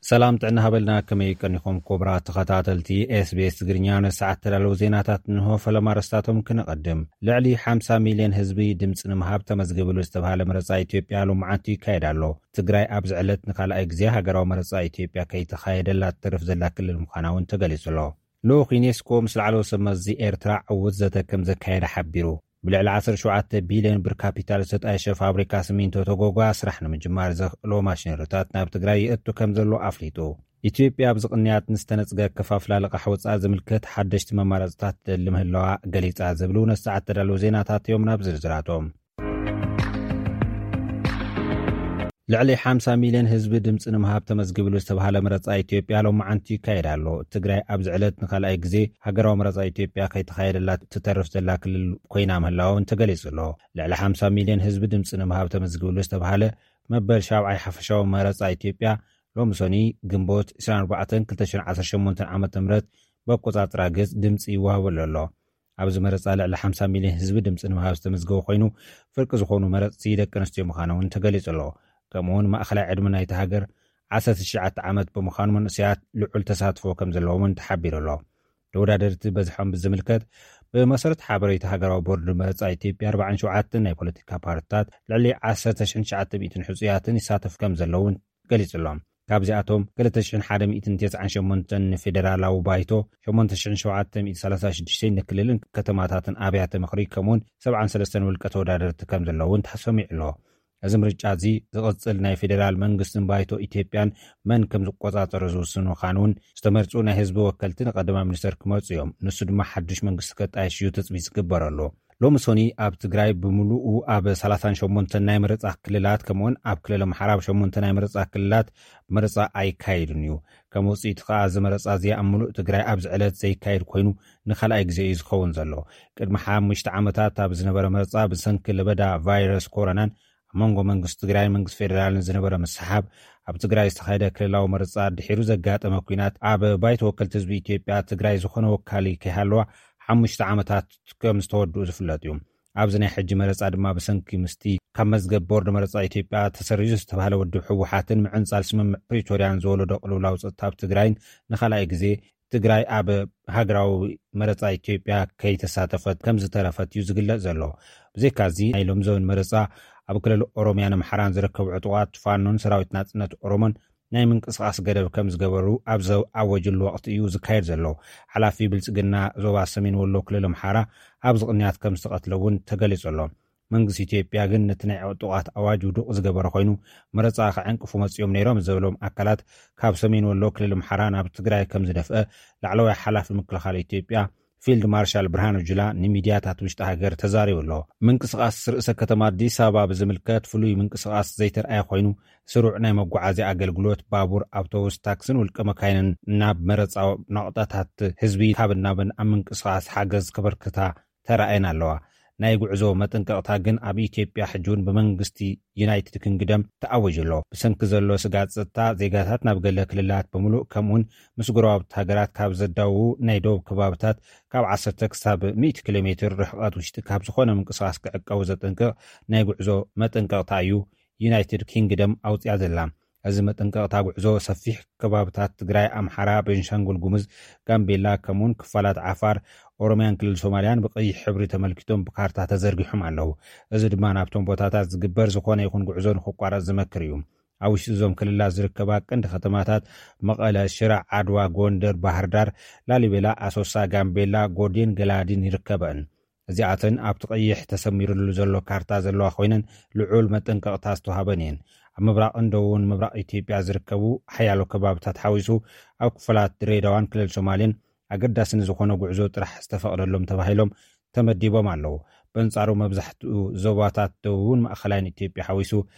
ሰላም ጥዕና ሃበልና፣ ከመይ ቀኒኹም ክቡራት ተኸታተልቲ ኤስቢኤስ ትግርኛ? ነሰዓት ተዳለዉ ዜናታት እንሆ። ፈለማ ኣርእስታቶም ክነቐድም። ልዕሊ ሓምሳ ሚልዮን ህዝቢ ድምፂ ንምሃብ ተመዝግብሉ ዝተባሃለ መረፃ ኢትዮጵያ ሎማዓንቲ ይካየድ ኣሎ። ትግራይ ኣብዚ ዕለት ንካልኣይ ግዜ ሃገራዊ መረፃ ኢትዮጵያ ከይተኻየደላ ትተርፍ ዘላ ክልል ምዃና እውን ተገሊፁ ኣሎ። ልኡኽ ዩኔስኮ ምስ ላዕለዎት ሰብ መዚ ኤርትራ ዕዉት ዘተ ከም ዘካየደ ሓቢሩ። ብልዕሊ ዓሰርተ ሸውዓተ ቢልዮን ብር ካፒታል ዝተጣየሸ ፋብሪካ ሲሚንቶ ተጎጓ ስራሕ ንምጅማር ዘኽእሎ ማሽነሪታት ናብ ትግራይ ይእቱ ከም ዘሎ ኣፍሊጡ። ኢትዮጵያ ኣብዚ ቅንያት ንዝተነጽገ ኣከፋፍላ ልቓሕ ወጻኢ ዝምልከት ሓደሽቲ መማረፅታት ትደሊ ምህላዋ ገሊጻ ዝብሉ ነሰዓት ተዳለዉ ዜናታት እዮም። ናብ ዝርዝራቶም። ልዕሊ ሓምሳ ሚልዮን ህዝቢ ድምፂ ንምሃብ ተመዝጊብሉ ዝተባሃለ መረፃ ኢትዮጵያ ሎማዓንቲ ይካየድ ኣሎ። ትግራይ ኣብዚ ዕለት ንካልኣይ ግዜ ሃገራዊ መረፃ ኢትዮጵያ ከይተኻየደላ ትተርፍ ዘላ ክልል ኮይና ምህላዋ እውን ተገሊፁ ኣሎ። ልዕሊ ሓምሳ ሚልዮን ህዝቢ ድምፂ ንምሃብ ተመዝጊብሉ ዝተባሃለ መበል ሻብዓይ ሓፈሻዊ መረፃ ኢትዮጵያ ሎሚ ሰኒ ግንቦት ዕስራን ኣርባዕተን ክልተ ሽሕን ዓሰርተ ሸሞንተን ዓመተ ምህረት ብኣቆፃፅራ ገፅ ድምፂ ይወሃበሉ ኣሎ። ኣብዚ መረፃ ልዕሊ ሓምሳ ሚልዮን ህዝቢ ድምፂ ንምሃብ ዝተመዝገበ ኮይኑ፣ ፍርቂ ዝኾኑ መረፅቲ ደቂ ኣንስትዮ ምዃኖም እውን ተገሊፁ ኣሎ። ከምኡ እውን ማእኸላይ ዕድመ ናይቲ ሃገር ዓሰርተ ትሽዓተ ዓመት ብምዃኑ፣ መንእሰያት ልዑል ተሳትፎ ከም ዘለዎም እውን ተሓቢሩ ኣሎ። ተወዳደርቲ በዝሖም ብዝምልከት፣ ብመሰረት ሓበሬታ ሃገራዊ ቦርድ መረፃ ኢትዮጵያ፣ ኣርባዓን ሸውዓተን ናይ ፖለቲካ ፓርቲታት ልዕሊ ዓሰርተ ሽሕን ትሽዓተ ሚእትን ሕፁያትን ይሳተፉ ከም ዘለዉ እውን ገሊጹ ኣሎ። ካብዚኣቶም ክልተ ሽሕን ሓደ ሚእትን ተስዓን ሸሞንተን ንፌደራላዊ ባይቶ፣ ሸሞንተ ሽሕን ሸውዓተ ሚእትን ሰላሳ ሽዱሽተ ንክልልን ከተማታትን ኣብያተ ምኽሪ፣ ከምኡውን ሰብዓን ሰለስተን ውልቀ ተወዳደርቲ ከም ዘለዉ እውን ተሰሚዑ ኣሎ። እዚ ምርጫ እዚ ዝቕጽል ናይ ፌደራል መንግስትን ባይቶ ኢትዮጵያን መን ከም ዝቆጻጸሮ ዝውስን ምዃኑ እውን፣ ዝተመርጹ ናይ ህዝቢ ወከልቲ ንቀዳማይ ሚኒስተር ክመርጹ እዮም። ንሱ ድማ ሓድሽ መንግስቲ ከጣይሽ እዩ ትጽቢት ዝግበረሉ። ሎሚ ሶኒ ኣብ ትግራይ ብምሉኡ ኣብ ሰላሳን ሸሞንተን ናይ መረጻ ክልላት፣ ከምኡውን ኣብ ክልል ኣምሓራ ኣብ ሸሞንተ ናይ መረጻ ክልላት መረጻ ኣይካየድን እዩ። ከም ውጽኢቱ ከኣ፣ እዚ መረጻ እዚ ኣብ ምሉእ ትግራይ ኣብዚ ዕለት ዘይካየድ ኮይኑ፣ ንኻልኣይ ግዜ እዩ ዝኸውን ዘሎ። ቅድሚ ሓሙሽተ ዓመታት ኣብ ዝነበረ መረጻ፣ ብሰንኪ ለበዳ ቫይረስ ኮሮናን ኣብ መንጎ መንግስቲ ትግራይን መንግስቲ ፌደራልን ዝነበረ ምስሓብ፣ ኣብ ትግራይ ዝተኻየደ ክልላዊ መረጻ ድሒሩ ዘጋጠመ ኲናት፣ ኣብ ባይቶ ወከልቲ ህዝቢ ኢትዮጵያ ትግራይ ዝኾነ ወካሊ ከይሃለዋ ሓሙሽተ ዓመታት ከም ዝተወድኡ ዝፍለጥ እዩ። ኣብዚ ናይ ሕጂ መረጻ ድማ፣ ብሰንኪ ምስቲ ካብ መዝገብ ቦርድ መረጻ ኢትዮጵያ ተሰሪዙ ዝተባህለ ውድብ ህወሓትን ምዕንጻል ስምምዕ ፕሪቶርያን ዝወለዶ ቅልውላው ጸጥታ ኣብ ትግራይን፣ ንኻልኣይ ግዜ ትግራይ ኣብ ሃገራዊ መረጻ ኢትዮጵያ ከይተሳተፈት ከም ዝተረፈት እዩ ዝግለጽ ዘሎ። ብዘይካዚ፣ ናይ ሎምዘበን መረጻ ኣብ ክልል ኦሮሚያን ኣምሓራን ዝርከቡ ዕጡቓት ፋኖን ሰራዊት ናጽነት ኦሮሞን ናይ ምንቅስቓስ ገደብ ከም ዝገበሩ ኣብ ዘኣወጅሉ ወቕቲ እዩ ዝካየድ ዘሎ። ሓላፊ ብልጽግና ዞባ ሰሜን ወሎ ክልል ኣምሓራ ኣብዚ ቅንያት ከም ዝተቐትለ እውን ተገሊጹ ኣሎ። መንግስቲ ኢትዮጵያ ግን ነቲ ናይ ዕጡቓት ኣዋጅ ውዱቕ ዝገበረ ኮይኑ፣ መረጻ ከዕንቅፉ መጺኦም ነይሮም ዘበሎም ኣካላት ካብ ሰሜን ወሎ ክልል ኣምሓራ ናብ ትግራይ ከም ዝደፍአ ላዕለዋይ ሓላፊ ምክልኻል ኢትዮጵያ ፊልድ ማርሻል ብርሃኑ ጁላ ንሚድያታት ውሽጢ ሃገር ተዛሪቡ ኣሎ። ምንቅስቓስ ርእሰ ከተማ ኣዲስ ኣበባ ብዝምልከት ፍሉይ ምንቅስቓስ ዘይተርኣየ ኮይኑ፣ ስሩዕ ናይ መጓዓዝያ ኣገልግሎት ባቡር፣ ኣውቶቡስ፣ ታክስን ውልቀ መካይንን ናብ መረጻ ናቑጣታት ህዝቢ ካብን ናብን ኣብ ምንቅስቓስ ሓገዝ ከበርክታ ተራእየን ኣለዋ። ናይ ጉዕዞ መጠንቀቕታ ግን ኣብ ኢትዮጵያ ሕጂ እውን ብመንግስቲ ዩናይትድ ኪንግደም ተኣዊጁ ኣሎ። ብሰንኪ ዘሎ ስጋት ጸጥታ፣ ዜጋታት ናብ ገለ ክልላት ብምሉእ፣ ከምኡውን ምስ ጎረባብቲ ሃገራት ካብ ዘዳውቡ ናይ ደቡብ ከባብታት ካብ ዓሰርተ ክሳብ ሚእቲ ኪሎ ሜትር ርሕቐት ውሽጢ ካብ ዝኾነ ምንቅስቓስ ክዕቀቡ ዘጠንቅቕ ናይ ጉዕዞ መጠንቀቕታ እዩ ዩናይትድ ኪንግደም ኣውጽያ ዘላ። እዚ መጠንቀቕታ ጉዕዞ ሰፊሕ ከባብታት ትግራይ፣ ኣምሓራ፣ ቤንሻንጉል ጉሙዝ፣ ጋምቤላ፣ ከምኡውን ክፋላት ዓፋር፣ ኦሮሚያን ክልል ሶማልያን ብቐይሕ ሕብሪ ተመልኪቶም ብካርታ ተዘርጊሖም ኣለዉ። እዚ ድማ ናብቶም ቦታታት ዝግበር ዝኾነ ይኹን ጉዕዞ ንኽቋረጽ ዝመክር እዩ። ኣብ ውሽጢ እዞም ክልላት ዝርከባ ቀንዲ ከተማታት መቐለ፣ ሽረ፣ ዓድዋ፣ ጎንደር፣ ባህርዳር፣ ላሊበላ፣ ኣሶሳ፣ ጋምቤላ፣ ጎዴን ገላዲን ይርከበን። እዚኣተን ኣብቲ ቀይሕ ተሰሚርሉ ዘሎ ካርታ ዘለዋ ኮይነን፣ ልዑል መጠንቀቕታ ዝተዋህበን እየን። ኣብ ምብራቕን ደቡብን ምብራቕ ኢትዮጵያ ዝርከቡ ሓያሎ ከባብታት ሓዊሱ፣ ኣብ ክፋላት ድሬዳዋን ክልል ሶማሌን ኣገዳሲ ንዝኾነ ጉዕዞ ጥራሕ ዝተፈቕደሎም ተባሂሎም ተመዲቦም ኣለዉ። በንጻሩ፣ መብዛሕትኡ ዞባታት ደቡብን ማእኸላይን ኢትዮጵያ ሓዊሱ፣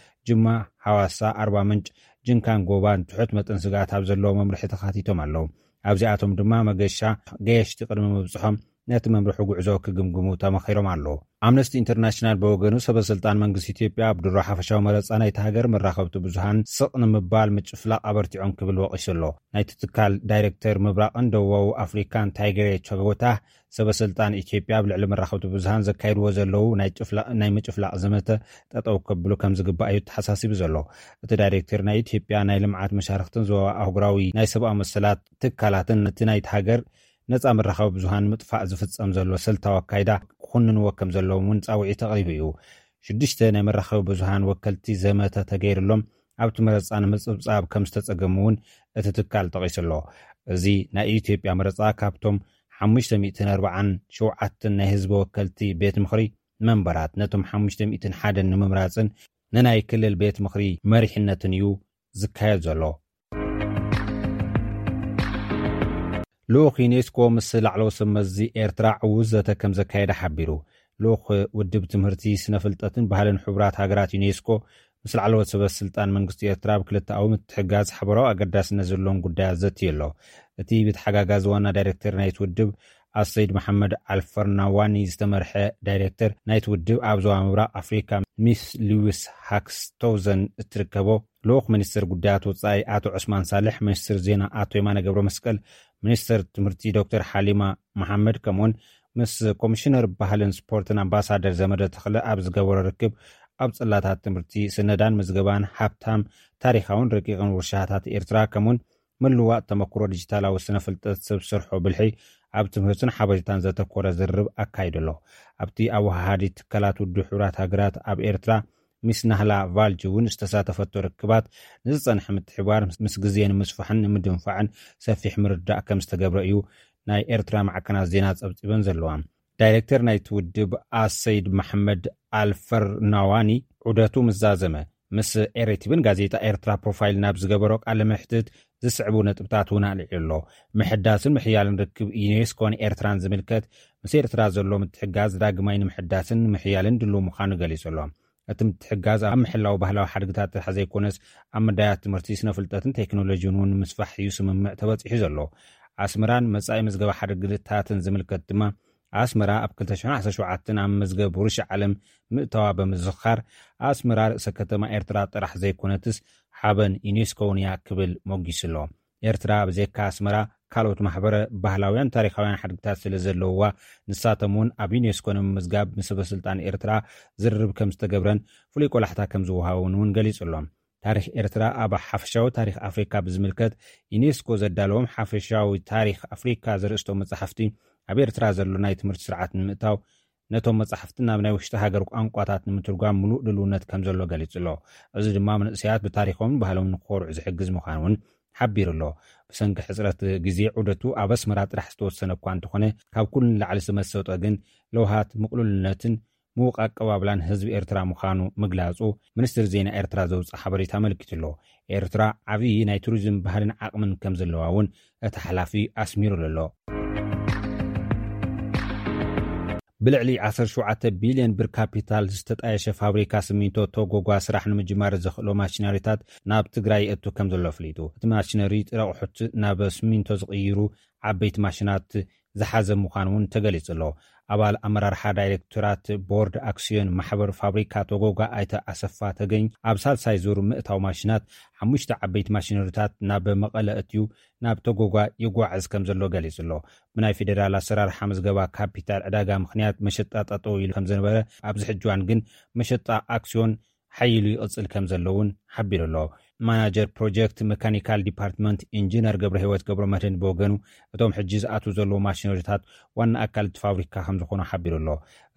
ጅማ፣ ሃዋሳ፣ ኣርባ ምንጭ፣ ጅንካን ጎባን ትሑት መጠን ስግኣት ኣብ ዘለዎ መምርሒ ተኻቲቶም ኣለዉ። ኣብዚኣቶም ድማ መገሻ ገየሽቲ ቅድሚ ምብጽሖም ነቲ መምርሒ ጉዕዞ ክግምግሙ ተመኺሮም ኣለዉ። ኣምነስቲ ኢንተርናሽናል ብወገኑ፣ ሰበ ስልጣን መንግስቲ ኢትዮጵያ ኣብ ድሮ ሓፈሻዊ መረጻ ናይቲ ሃገር መራኸብቲ ብዙሃን ስቕ ንምባል ምጭፍላቕ ኣበርቲዖም ክብል ወቒሱ ኣሎ። ናይቲ ትካል ዳይሬክተር ምብራቕን ደቡባዊ ኣፍሪካን ታይገሬ ቸጎታ፣ ሰበ ስልጣን ኢትዮጵያ ኣብ ልዕሊ መራኸብቲ ብዙሃን ዘካይድዎ ዘለዉ ናይ ጭፍላቕ፣ ናይ ምጭፍላቕ ዘመተ ጠጠው ከብሉ ከም ዝግባእ እዩ ተሓሳሲቡ ዘሎ። እቲ ዳይሬክተር፣ ናይ ኢትዮጵያ ናይ ልምዓት መሻርክትን ዞባ ኣህጉራዊ ናይ ሰብኣዊ መሰላት ትካላትን ነቲ ናይቲ ሃገር ነጻ መራኸቢ ብዙሃን ምጥፋእ ዝፍጸም ዘሎ ስልታዊ ኣካይዳ ክኹንንዎ ከም ዘለዎም እውን ጻውዒት ኣቕሪቡ እዩ። ሽዱሽተ ናይ መራኸቢ ብዙሃን ወከልቲ ዘመተ ተገይርሎም ኣብቲ መረጻ ንምጽብጻብ ከም ዝተጸገሙ እውን እቲ ትካል ጠቒሱ ኣሎ። እዚ ናይ ኢትዮጵያ መረጻ፣ ካብቶም ሓሙሽተ ሚእትን ኣርባዓን ሸውዓተን ናይ ህዝቢ ወከልቲ ቤት ምኽሪ መንበራት፣ ነቶም ሓሙሽተ ሚእትን ሓደን ንምምራጽን ንናይ ክልል ቤት ምኽሪ መሪሕነትን እዩ ዝካየድ ዘሎ። ልኡኽ ዩኔስኮ ምስ ላዕለዎት ሰብ መዚ ኤርትራ ዕዉት ዘተ ከም ዘካየደ ሓቢሩ። ልኡኽ ውድብ ትምህርቲ፣ ስነ ፍልጠትን ባህልን ሕቡራት ሃገራት፣ ዩኔስኮ፣ ምስ ላዕለዎት ሰበ ስልጣን መንግስቲ ኤርትራ ኣብ ክልተኣዊ ምትሕጋዝ ሓበራዊ ኣገዳስነት ዘለዎም ጉዳያት ዘትዩ ኣሎ። እቲ ብተሓጋጋዚ ዋና ዳይሬክተር ናይቲ ውድብ፣ ኣሰይድ መሓመድ ኣልፈርናዋኒ ዝተመርሐ ዳይሬክተር ናይቲ ውድብ፣ ኣብ ዞባ ምብራቕ ኣፍሪካ ሚስ ሉዊስ ሃክስቶዘን እትርከቦ፣ ልኡኽ ሚኒስትር ጉዳያት ወጻኢ ኣቶ ዑስማን ሳልሕ፣ ሚኒስትር ዜና ኣቶ የማነ ገብረ መስቀል፣ ሚኒስትር ትምህርቲ ዶክተር ሓሊማ መሓመድ፣ ከምኡውን ምስ ኮሚሽነር ባህልን ስፖርትን ኣምባሳደር ዘመደ ተኽለ ኣብ ዝገበሮ ርክብ፣ ኣብ ጽላታት ትምህርቲ፣ ስነዳን ምዝገባን፣ ሃብታም ታሪኻውን ረቂቕን ውርሻታት ኤርትራ፣ ከምኡውን ምልዋጥ ተመክሮ ዲጂታላዊ ስነ ፍልጠት፣ ሰብ ሰርሖ ብልሒ ኣብ ትምህርትን ሓበሬታን ዘተኮረ ዝርርብ ኣካይዱ ኣሎ። ኣብቲ ኣወሃሃዲ ትካላት ውድብ ሕቡራት ሃገራት ኣብ ኤርትራ፣ ሚስ ናህላ ቫልጅ እውን ዝተሳተፈቶ ርክባት፣ ንዝጸንሐ ምትሕብባር ምስ ግዜ ንምስፋሕን ንምድንፋዕን ሰፊሕ ምርዳእ ከም ዝተገብረ እዩ ናይ ኤርትራ ማዕከናት ዜና ጸብጺበን ዘለዋ። ዳይሬክተር ናይቲ ውድብ ኣሰይድ መሐመድ ኣልፈርናዋኒ ዑደቱ ምስ ዛዘመ፣ ምስ ኤሬቲቪን ጋዜጣ ኤርትራ ፕሮፋይል ናብ ዝገበሮ ቃለ መሕትት ዝስዕቡ ነጥብታት እውን ኣልዒሉ ኣሎ። ምሕዳስን ምሕያልን ርክብ ዩኔስኮን ኤርትራን ዝምልከት፣ ምስ ኤርትራ ዘሎ ምትሕጋዝ ዳግማይ ንምሕዳስን ንምሕያልን ድሉው ምዃኑ ገሊጹ ኣሎ። እቲ ምትሕጋዝ ኣብ ምሕላው ባህላዊ ሓድግታት ጥራሕ ዘይኮነስ፣ ኣብ መዳያት ትምህርቲ፣ ስነ ፍልጠትን ቴክኖሎጂን እውን ንምስፋሕ እዩ ስምምዕ ተበጺሑ ዘሎ። ኣስመራን መጻኢ መዝገበ ሓድግታትን ዝምልከት ድማ፣ ኣስመራ ኣብ ክልተ ሽሕን ዓሰርተ ሸውዓተን ኣብ መዝገብ ውርሻ ዓለም ምእታዋ ብምዝኻር፣ ኣስመራ ርእሰ ከተማ ኤርትራ ጥራሕ ዘይኮነትስ፣ ሓበን ዩኔስኮ እውን እያ ክብል ሞጊሱ ኣሎ። ኤርትራ ብዘይካ ኣስመራ፣ ካልኦት ማሕበረ ባህላውያን ታሪኻውያን ሓድግታት ስለ ዘለውዋ፣ ንሳቶም እውን ኣብ ዩኔስኮ ንምምዝጋብ ምስ ሰበ ስልጣን ኤርትራ ዝርርብ ከም ዝተገብረን ፍሉይ ቆላሕታ ከም ዝወሃቦን እውን ገሊጹ ኣሎ። ታሪኽ ኤርትራ ኣብ ሓፈሻዊ ታሪኽ ኣፍሪካ ብዝምልከት፣ ዩኔስኮ ዘዳለዎም ሓፈሻዊ ታሪኽ ኣፍሪካ ዘርእስቶ መጻሕፍቲ፣ ኣብ ኤርትራ ዘሎ ናይ ትምህርቲ ስርዓት ንምእታው፣ ነቶም መጻሕፍቲ ናብ ናይ ውሽጢ ሃገር ቋንቋታት ንምትርጓም ምሉእ ድልውነት ከም ዘሎ ገሊጹ ኣሎ። እዚ ድማ መንእሰያት ብታሪኾምን ባህሎምን ንክኾርዑ ዝሕግዝ ምዃኑ እውን ሓቢሩ ኣሎ። ብሰንኪ ሕጽረት ግዜ፣ ዑደቱ ኣብ ኣስመራ ጥራሕ ዝተወሰነ እኳ እንተኾነ፣ ካብ ኩሉ ንላዕሊ ዝመሰጦ ግን ለውሃት፣ ምቕሉልነትን ምዉቕ ኣቀባብላን ህዝቢ ኤርትራ ምዃኑ ምግላጹ፣ ሚኒስትሪ ዜና ኤርትራ ዘውጽኦ ሓበሬታ ኣመልኪቱ ኣሎ። ኤርትራ ዓብዪ ናይ ቱሪዝም ባህልን ዓቕምን ከም ዘለዋ እውን እቲ ሓላፊ ኣስሚሩሉ ኣሎ። ብልዕሊ ዓሰርተ ሸውዓተ ቢልዮን ብር ካፒታል ዝተጣየሸ ፋብሪካ ሲሚንቶ ቶጎጓ ስራሕ ንምጅማር ዘኽእሎ ማሽነሪታት ናብ ትግራይ የእቱ ከም ዘሎ ኣፍሊጡ። እቲ ማሽነሪ ጥረ ኣቑሑት ናብ ሲሚንቶ ዝቕይሩ ዓበይቲ ማሽናት ዝሓዘ ምዃኑ እውን ተገሊጹ ኣሎ። ኣባል ኣመራርሓ ዳይሬክቶራት ቦርድ ኣክስዮን ማሕበር ፋብሪካ ቶጎጓ ኣይተ ኣሰፋ ተገኝ፣ ኣብ ሳልሳይ ዙር ምእታው ማሽናት፣ ሓሙሽተ ዓበይቲ ማሽነሪታት ናብ መቐለ እትዩ ናብ ቶጎጓ ይጓዓዝ ከም ዘሎ ገሊጹ ኣሎ። ብናይ ፌዴራል ኣሰራርሓ ምዝገባ ካፒታል ዕዳጋ ምኽንያት መሸጣ ጠጠው ኢሉ ከም ዝነበረ፣ ኣብዚ ሕጂ እዋን ግን መሸጣ ኣክስዮን ሓይሉ ይቕጽል ከም ዘሎ እውን ሓቢሩ ኣሎ። ማናጀር ፕሮጀክት መካኒካል ዲፓርትመንት ኢንጂነር ገብረ ህይወት ገብረ መድህን ብወገኑ፣ እቶም ሕጂ ዝኣትዉ ዘለዉ ማሽነሪታት ዋና ኣካል እቲ ፋብሪካ ከም ዝኾኑ ሓቢሩ ኣሎ።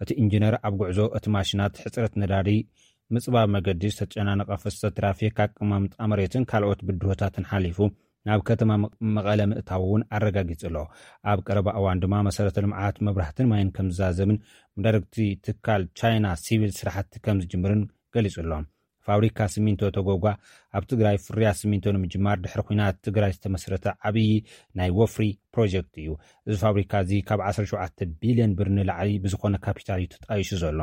እቲ ኢንጂነር፣ ኣብ ጉዕዞ እቲ ማሽናት፣ ሕጽረት ነዳዲ፣ ምጽባብ መገዲ፣ ዝተጨናነቐ ፍሰት ትራፊክ፣ ኣቀማምጣ መሬትን ካልኦት ብድሆታትን ሓሊፉ ናብ ከተማ መ-፣ መቐለ ምእታው እውን ኣረጋጊጹ ኣሎ። ኣብ ቀረባ እዋን ድማ መሰረተ ልምዓት መብራህትን ማይን ከም ዝዛዘምን፣ ብዳይሬክት ትካል ቻይና ሲቪል ስራሕቲ ከም ዝጅምርን ገሊጹ ኣሎ። ፋብሪካ ሲሚንቶ ቶጎጓ ኣብ ትግራይ ፍርያት ሲሚንቶ ንምጅማር፣ ድሕሪ ኲናት ትግራይ ዝተመስረተ ዓብዪ ናይ ወፍሪ ፕሮጀክት እዩ። እዚ ፋብሪካ እዚ ካብ ዓሰርተ ሸውዓተ ቢልዮን ብር ንላዕሊ ብዝኾነ ካፒታል እዩ ተጣይሹ ዘሎ።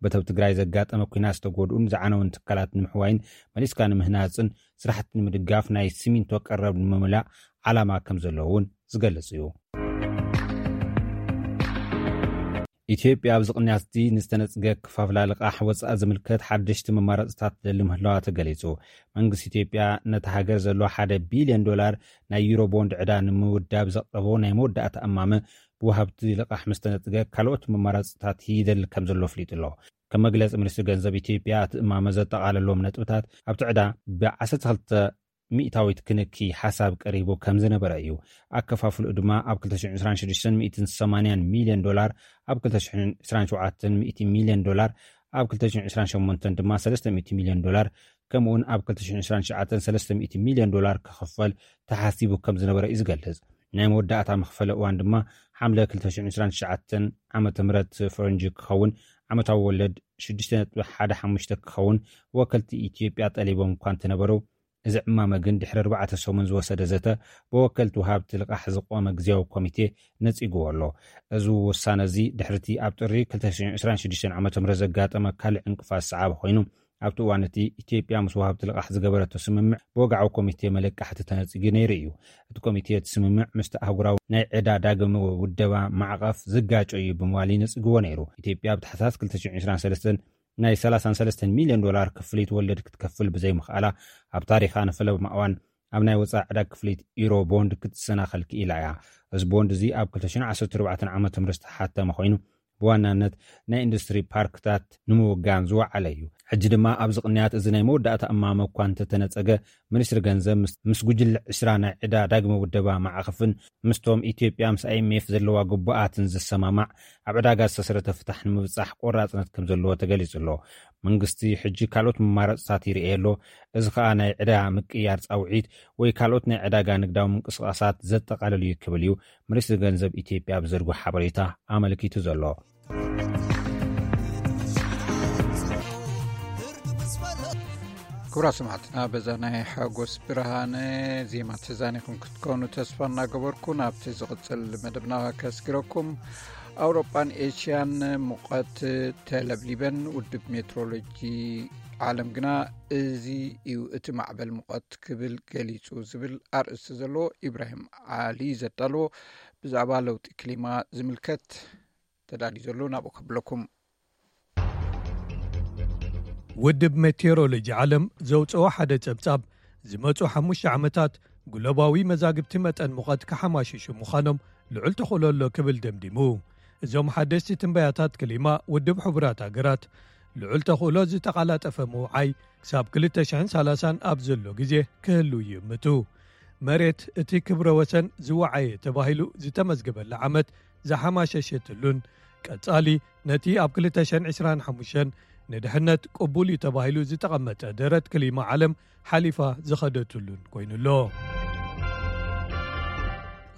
በቲ ኣብ ትግራይ ዘጋጠመ ኲናት ዝተጎድኡን ዝዓነውን ትካላት ንምሕዋይን መሊስካ ንምህናፅን ስራሕቲ ንምድጋፍ ናይ ሲሚንቶ ቀረብ ንምምላእ ዓላማ ከም ዘለዎ እውን ዝገልጽ እዩ። ኢትዮጵያ ኣብዚ ቅንያት እዚ ንዝተነጽገ ክፋፍላ ልቓሕ ወጻኢ ዝምልከት ሓደሽቲ መማረጽታት ትደሊ ምህላዋ ተገሊጹ። መንግስቲ ኢትዮጵያ ነታ ሃገር ዘሎ ሓደ ቢልዮን ዶላር ናይ ዩሮ ቦንድ ዕዳ ንምውዳብ ዘቕረቦ ናይ መወዳእታ እማመ ብወሃብቲ ልቓሕ ምስ ተነጽገ ካልኦት መማረጽታት ይደሊ ከም ዘሎ ኣፍሊጡ ኣሎ። ከም መግለጺ ሚኒስትሪ ገንዘብ ኢትዮጵያ እቲ እማመ ዘጠቓለሎም ነጥብታት ኣብቲ ዕዳ ብ12 ሚእታዊት ክንኪ ሓሳብ ቀሪቡ ከም ዝነበረ እዩ። ኣከፋፍልኡ ድማ ኣብ ክልተ ሽሕን ዕስራን ሽዱሽተን ሚእትን ሰማንያን ሚልዮን ዶላር፣ ኣብ ክልተ ሽሕን ዕስራን ሸውዓተን ሚእቲ ሚልዮን ዶላር፣ ኣብ ክልተ ሽሕን ዕስራን ሸሞንተን ድማ ሰለስተ ሚእቲ ሚልዮን ዶላር፣ ከምኡውን ኣብ ክልተ ሽሕን ዕስራን ትሽዓተን ሰለስተ ሚእቲ ሚልዮን ዶላር ክኽፈል ተሓሲቡ ከም ዝነበረ እዩ ዝገልጽ። ናይ መወዳእታ መኽፈሊ እዋን ድማ ሓምለ ክልተ ሽሕን ዕስራን ትሽዓተን ዓመተ ምህረት ፈረንጂ ክኸውን፣ ዓመታዊ ወለድ ሽዱሽተ ነጥቢ ሓደ ሓሙሽተ ክኸውን፣ ወከልቲ ኢትዮጵያ ጠሊቦም እኳ እንተነበሩ፣ እዚ ዕማመ ግን ድሕሪ ኣርባዕተ ሰሙን ዝወሰደ ዘተ ብወከልቲ ወሃብቲ ልቓሕ ዝቖመ ግዝያዊ ኮሚቴ ነጺግዎ ኣሎ። እዚ ውሳነ እዚ ድሕሪቲ ኣብ ጥሪ ክልተ ሽሕን ዕስራን ሽዱሽተን ዓመተ ምህረት ዘጋጠመ ካልእ ዕንቅፋት ዝሰዓበ ኮይኑ፣ ኣብቲ እዋን እቲ ኢትዮጵያ ምስ ወሃብቲ ልቓሕ ዝገበረቶ ስምምዕ ብወግዓዊ ኮሚቴ መለቃሕቲ ተነጺጉ ነይሩ እዩ። እቲ ኮሚቴ እቲ ስምምዕ ምስቲ ኣህጉራዊ ናይ ዕዳ ዳግም ውደባ ማዕቐፍ ዝጋጮ እዩ ብምባል እዩ ነጺግዎ ነይሩ። ኢትዮጵያ ኣብ ታሕሳስ ክልተ ሽሕን ዕስራን ሰለስተን ናይ ሰላሳን ሰለስተን ሚልዮን ዶላር ክፍሊት ወለድ ክትከፍል ብዘይምኽኣላ፣ ኣብ ታሪኻ ንፈለማ እዋን ኣብ ናይ ወጻኢ ዕዳ ክፍሊት ዩሮ ቦንድ ክትሰናኸል ክኢላ እያ። እዚ ቦንድ እዚ ኣብ ክልተ ሽሕን ዓሰርተ ኣርባዕተን ዓመተ ምህረት ዝተሓተመ ኮይኑ፣ ብዋናነት ናይ ኢንዱስትሪ ፓርክታት ንምውጋን ዝወዓለ እዩ። ሕጂ ድማ ኣብዚ ቅንያት እዚ ናይ መወዳእታ እማመ እኳ እንተተነጸገ፣ ሚኒስትሪ ገንዘብ ምስ፣ ምስ ጉጅለ ዕስራ ናይ ዕዳ ዳግመ ውደባ ማዕቐፍን ምስቶም ኢትዮጵያ ምስ ኣይኤምኤፍ ዘለዋ ግቡኣትን ዝሰማማዕ ኣብ ዕዳጋ ዝተሰረተ ፍታሕ ንምብጻሕ ቆራጽነት ከም ዘለዎ ተገሊጹ ኣሎ። መንግስቲ ሕጂ ካልኦት መማረጽታት ይርእየ ኣሎ። እዚ ከኣ ናይ ዕዳ ምቅያር ጻውዒት ወይ ካልኦት ናይ ዕዳጋ ንግዳዊ ምንቅስቓሳት ዘጠቓልል እዩ ክብል እዩ ሚኒስትሪ ገንዘብ ኢትዮጵያ ኣብ ዘርግሖ ሓበሬታ ኣመልኪቱ ዘሎ። ክቡራት ሰማዕትና፣ በዛ ናይ ሓጎስ ብርሃነ ዜማ ተዛኒኹም ክትኮኑ ተስፋ እናገበርኩ፣ ናብቲ ዝቕጽል መደብና ከስግረኩም። ኣውሮጳን ኤሽያን ሙቐት ተለብሊበን፣ ውድብ ሜትሮሎጂ ዓለም ግና እዚ እዩ እቲ ማዕበል ሙቐት ክብል ገሊጹ ዝብል ኣርእስቲ ዘለዎ ኢብራሂም ዓሊ ዘዳለዎ ብዛዕባ ለውጢ ክሊማ ዝምልከት ተዳልዩ ዘሎ ናብኡ ከብለኩም። ውድብ ሜቴሮሎጂ ዓለም ዘውፅኦ ሓደ ጸብጻብ፣ ዝመጹ ሓሙሽተ ዓመታት ግሎባዊ መዛግብቲ መጠን ሙቐት ክሓማሽሹ ምዃኖም ልዑል ተኽእሎ ኣሎ ክብል ደምዲሙ። እዞም ሓደስቲ ትንበያታት ክሊማ ውድብ ሕቡራት ሃገራት፣ ልዑል ተኽእሎ ዝተቓላጠፈ ምውዓይ ክሳብ ክልተ ሽሕን ሰላሳን ኣብ ዘሎ ግዜ ክህሉ ይእምቱ። መሬት እቲ ክብረ ወሰን ዝወዓየ ተባሂሉ ዝተመዝገበላ ዓመት ዝሓማሸሸትሉን፣ ቀጻሊ ነቲ ኣብ ክልተ ሽሕን ዕስራን ሓሙሽተን ንድሕነት ቅቡል እዩ ተባሂሉ ዝተቐመጠ ደረት ክሊማ ዓለም ሓሊፋ ዝኸደትሉን ኮይኑ ኣሎ።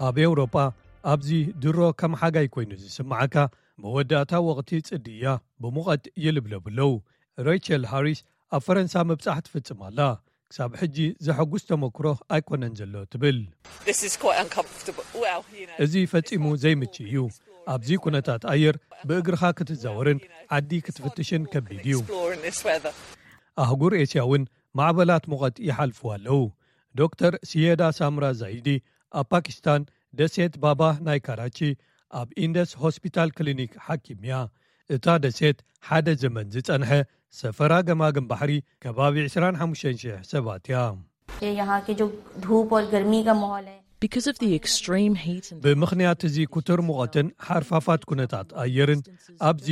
ኣብ ኤውሮጳ ኣብዚ ድሮ ከም ሓጋይ ኮይኑ ዝስምዓካ መወዳእታ ወቕቲ ጽድያ ብሙቐት ይልብለቡ ኣለዉ። ሬቸል ሃሪስ ኣብ ፈረንሳ ምብጻሕ ትፍጽም ኣላ። ክሳብ ሕጂ ዘሐጉስ ተመክሮ ኣይኮነን ዘሎ ትብል። This is quite uncomfortable. Well, you know, እዚ ፈጺሙ ዘይምች እዩ። ኣብዚ ኩነታት ኣየር ብእግርኻ ክትዛወርን ዓዲ ክትፍትሽን ከቢድ እዩ። Explore in this weather. ኣህጉር ኤስያ እውን ማዕበላት ሙቐት ይሓልፉ ኣለዉ። ዶክተር ሲየዳ ሳምራ ዛይዲ ኣብ ፓኪስታን ደሴት ባባ ናይ ካራቺ ኣብ ኢንደስ ሆስፒታል ክሊኒክ ሓኪም እያ። እታ ደሴት ሓደ ዘመን ዝጸንሐ ሰፈራ ገማግም ባሕሪ ከባቢ ዕስራን ሓሙሽተን ሽሕ ሰባት እያ። ये यहाँ के जो धूप और गर्मी का माहौल है, Because of the extreme heat and ብምኽንያት እዚ ክቱር ሙቐትን ሓርፋፋት ኩነታት ኣየርን ኣብዚ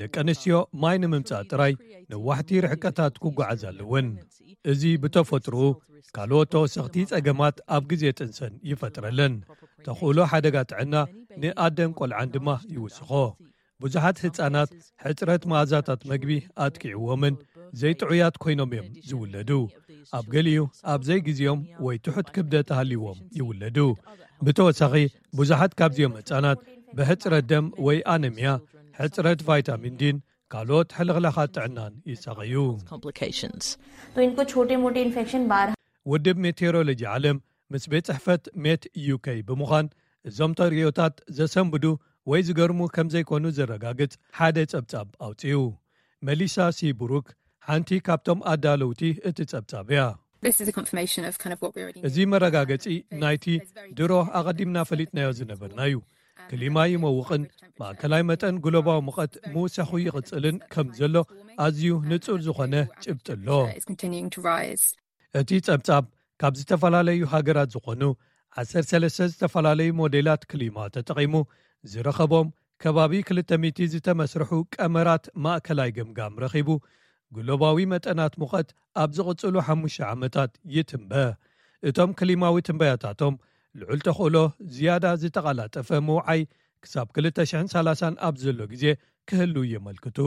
ደቂ ኣንስትዮ ማይ ንምምጻእ ጥራይ ነዋሕቲ ርሕቀታት ክጓዓዝ ኣለወን። እዚ ብተፈጥሮኡ ካልኦት ተወሰኽቲ ጸገማት ኣብ ግዜ ጥንሰን ይፈጥረለን። ተኽእሎ ሓደጋ ጥዕና ንኣደን ቆልዓን ድማ ይውስኾ። ብዙሓት ህጻናት ሕጽረት መኣዛታት መግቢ ኣጥቂዕዎምን ዘይጥዑያት ኮይኖም እዮም ዝውለዱ። ኣብ ገሊኡ ኣብ ዘይግዜኦም ወይ ትሑት ክብደት ሃልይዎም ይውለዱ። ብተወሳኺ ብዙሓት ካብዚኦም ህጻናት ብሕጽረት ደም ወይ ኣነሚያ፣ ሕጽረት ቫይታሚን ዲን ካልኦት ሕልኽላኻት ጥዕናን ይሳቐዩ። Complications. तो इनको छोटे मोटे इन्फेक्शन बार ውድብ ሜቴሮሎጂ ዓለም ምስ ቤት ጽሕፈት ሜት ዩኬ ብምዃን እዞም ተርእዮታት ዘሰንብዱ ወይ ዝገርሙ ከም ዘይኮኑ ዘረጋግጽ ሓደ ጸብጻብ ኣውጺኡ። መሊሳ ሲ ብሩክ ሓንቲ ካብቶም ኣዳለውቲ እቲ ጸብጻብ እያ። This is a confirmation of kind of what we already knew. እዚ መረጋገጺ ናይቲ ድሮ ኣቐዲምና ፈሊጥናዮ ዝነበርና እዩ። ክሊማ ይመውቕን ማእከላይ መጠን ግሎባዊ ሙቐት ምውሳኹ ይቕጽልን ከም ዘሎ ኣዝዩ ንጹር ዝኾነ ጭብጢ ኣሎ። It's continuing to rise. እቲ ጸብጻብ ካብ ዝተፈላለዩ ሃገራት ዝኾኑ ዓሰርተ ሰለስተ ዝተፈላለዩ ሞዴላት ክሊማ ተጠቒሙ ዝረኸቦም ከባቢ ክልተ ሚእቲ ዝተመስርሑ ቀመራት ማእከላይ ገምጋም ረኺቡ፣ ግሎባዊ መጠናት ሙቐት ኣብ ዝቕጽሉ ሓሙሽተ ዓመታት ይትንበ። እቶም ክሊማዊ ትንበያታቶም ልዑል ተኽእሎ ዝያዳ ዝተቓላጠፈ ምውዓይ ክሳብ ክልተ ሽሕን ሰላሳን ኣብ ዘሎ ግዜ ክህሉ የመልክቱ።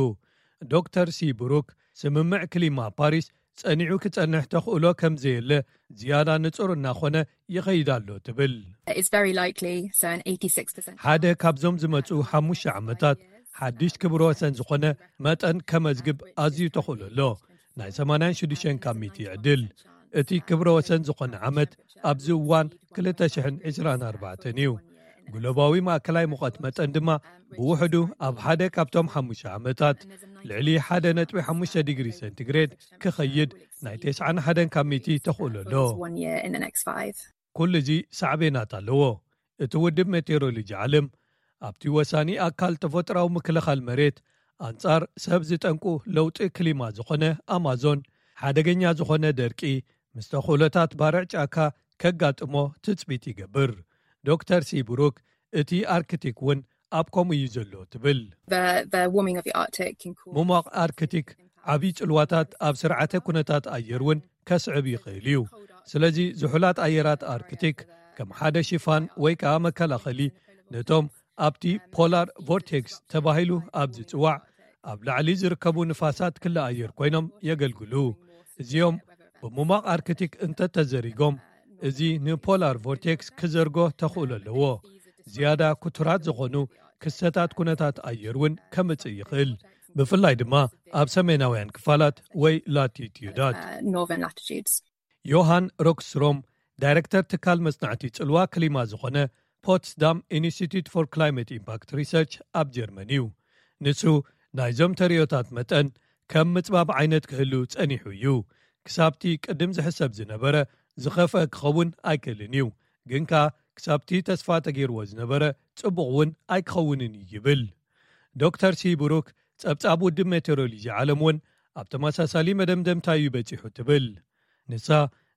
ዶክተር ሲ ብሩክ፣ ስምምዕ ክሊማ ፓሪስ ጸኒዑ ክጸንሕ ተኽእሎ ከም ዘየለ ዝያዳ ንጹር እናኾነ ይኸይድ ኣሎ ትብል። It's very likely, so an eighty-six percent. ሓደ ካብዞም ዝመጹ ሓሙሽተ ዓመታት ሓድሽ ክብረ ወሰን ዝኾነ መጠን ከመዝግብ ኣዝዩ ተኽእሎ ኣሎ። ናይ ሰማንያን ሽዱሽተን ካብ ሚእቲ ይዕድል። እቲ ክብረ ወሰን ዝኾነ ዓመት ኣብዚ እዋን ክልተ ሽሕን ዕስራን ኣርባዕተን እዩ። ግሎባዊ ማእከላይ ሙቐት መጠን ድማ ብውሕዱ ኣብ ሓደ ካብቶም ሓሙሽተ ዓመታት ልዕሊ ሓደ ነጥቢ ሓሙሽተ ዲግሪ ሴንቲግሬድ ክኸይድ ናይ ተስዓን ሓደን ካብ ሚእቲ ተኽእሎ ኣሎ። One year in the next five. ኩሉ እዚ ሳዕቤናት ኣለዎ። እቲ ውድብ ሜቴሮሎጂ ዓለም ኣብቲ ወሳኒ ኣካል ተፈጥራዊ ምክልኻል መሬት ኣንጻር ሰብ ዝጠንቁ ለውጢ ክሊማ ዝኾነ ኣማዞን ሓደገኛ ዝኾነ ደርቂ ምስ ተኽእሎታት ባርዕ ጫካ ከጋጥሞ ትጽቢት ይገብር። ዶክተር ሲብሩክ እቲ ኣርክቲክ እውን ኣብ ከምኡ እዩ ዘሎ ትብል። The, the warming of the Arctic can cause ምሟቕ ኣርክቲክ ዓብዪ ጽልዋታት ኣብ ስርዓተ ኩነታት ኣየር እውን ከስዕብ ይኽእል እዩ። ስለዚ ዝሑላት ኣየራት ኣርክቲክ ከም ሓደ ሽፋን ወይ ከዓ መከላኸሊ ነቶም ኣብቲ ፖላር ቮርቴክስ ተባሂሉ ኣብ ዝጽዋዕ ኣብ ላዕሊ ዝርከቡ ንፋሳት ክሊ ኣየር ኮይኖም የገልግሉ። እዚኦም ብምሟቕ ኣርክቲክ እንተተዘሪጎም እዚ ንፖላር ቮርቴክስ ክዘርጎ ተኽእሎ ኣለዎ። ዝያዳ ክቱራት ዝኾኑ ክስተታት ኩነታት ኣየር እውን ከምጽእ ይኽእል፣ ብፍላይ ድማ ኣብ ሰሜናውያን ክፋላት ወይ ላቲቲዩዳት። Uh, northern latitudes. ዮሃን ሮክስትሮም ዳይረክተር ትካል መጽናዕቲ ጽልዋ ክሊማ ዝኾነ ፖትስዳም ኢንስቲትዩት ፎር ክላይመት ኢምፓክት ሪሰርች ኣብ ጀርመን እዩ። ንሱ ናይዞም ተርእዮታት መጠን ከም ምጽባብ ዓይነት ክህሉ ጸኒሑ እዩ። ክሳብቲ ቅድም ዝሕሰብ ዝነበረ ዝኸፍአ ክኸውን ኣይክእልን እዩ፣ ግን ከኣ ክሳብቲ ተስፋ ተገይርዎ ዝነበረ ጽቡቕ እውን ኣይክኸውንን እዩ ይብል። ዶክተር ሲብሩክ ጸብጻብ ውድብ ሜቴሮሎጂ ዓለም እውን ኣብ ተመሳሳሊ መደምደምታ እዩ በጺሑ ትብል። ንሳ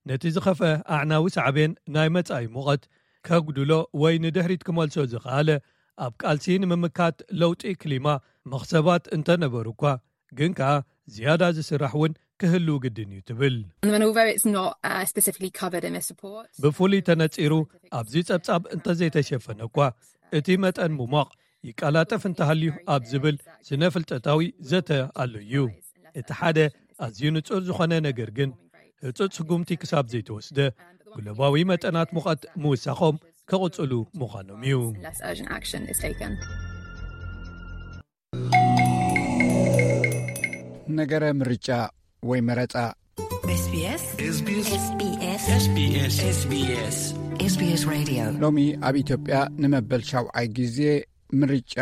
ነቲ ዝኸፍአ ኣዕናዊ ሳዕቤን ናይ መጻኢ ሙቐት ከጉድሎ ወይ ንድሕሪት ክመልሶ ዝኸኣለ ኣብ ቃልሲ ንምምካት ለውጢ ክሊማ መኽሰባት እንተነበሩ እኳ ግን ከኣ ዝያዳ ዝስራሕ እውን ክህሉ ግድን እዩ ትብል። And then, although it's not uh, specifically covered in this report, ብፍሉይ ተነጺሩ ኣብዚ ጸብጻብ እንተዘይተሸፈነ እኳ እቲ መጠን ምሟቕ ይቀላጠፍ እንተሃልዩ ኣብ ዝብል ስነ ፍልጠታዊ ዘተ ኣሎ እዩ። እቲ ሓደ ኣዝዩ ንጹር ዝኾነ ነገር ግን ህጹጽ ስጉምቲ ክሳብ ዘይተወስደ ግሎባዊ መጠናት ሙቐት ምውሳኾም ክቕጽሉ ምዃኖም እዩ። unless urgent action is taken. ነገረ ምርጫ ወይ መረጻ። SBS SBS SBS SBS SBS SBS Radio. ሎሚ ኣብ ኢትዮጵያ ንመበል ሻውዓይ ግዜ ምርጫ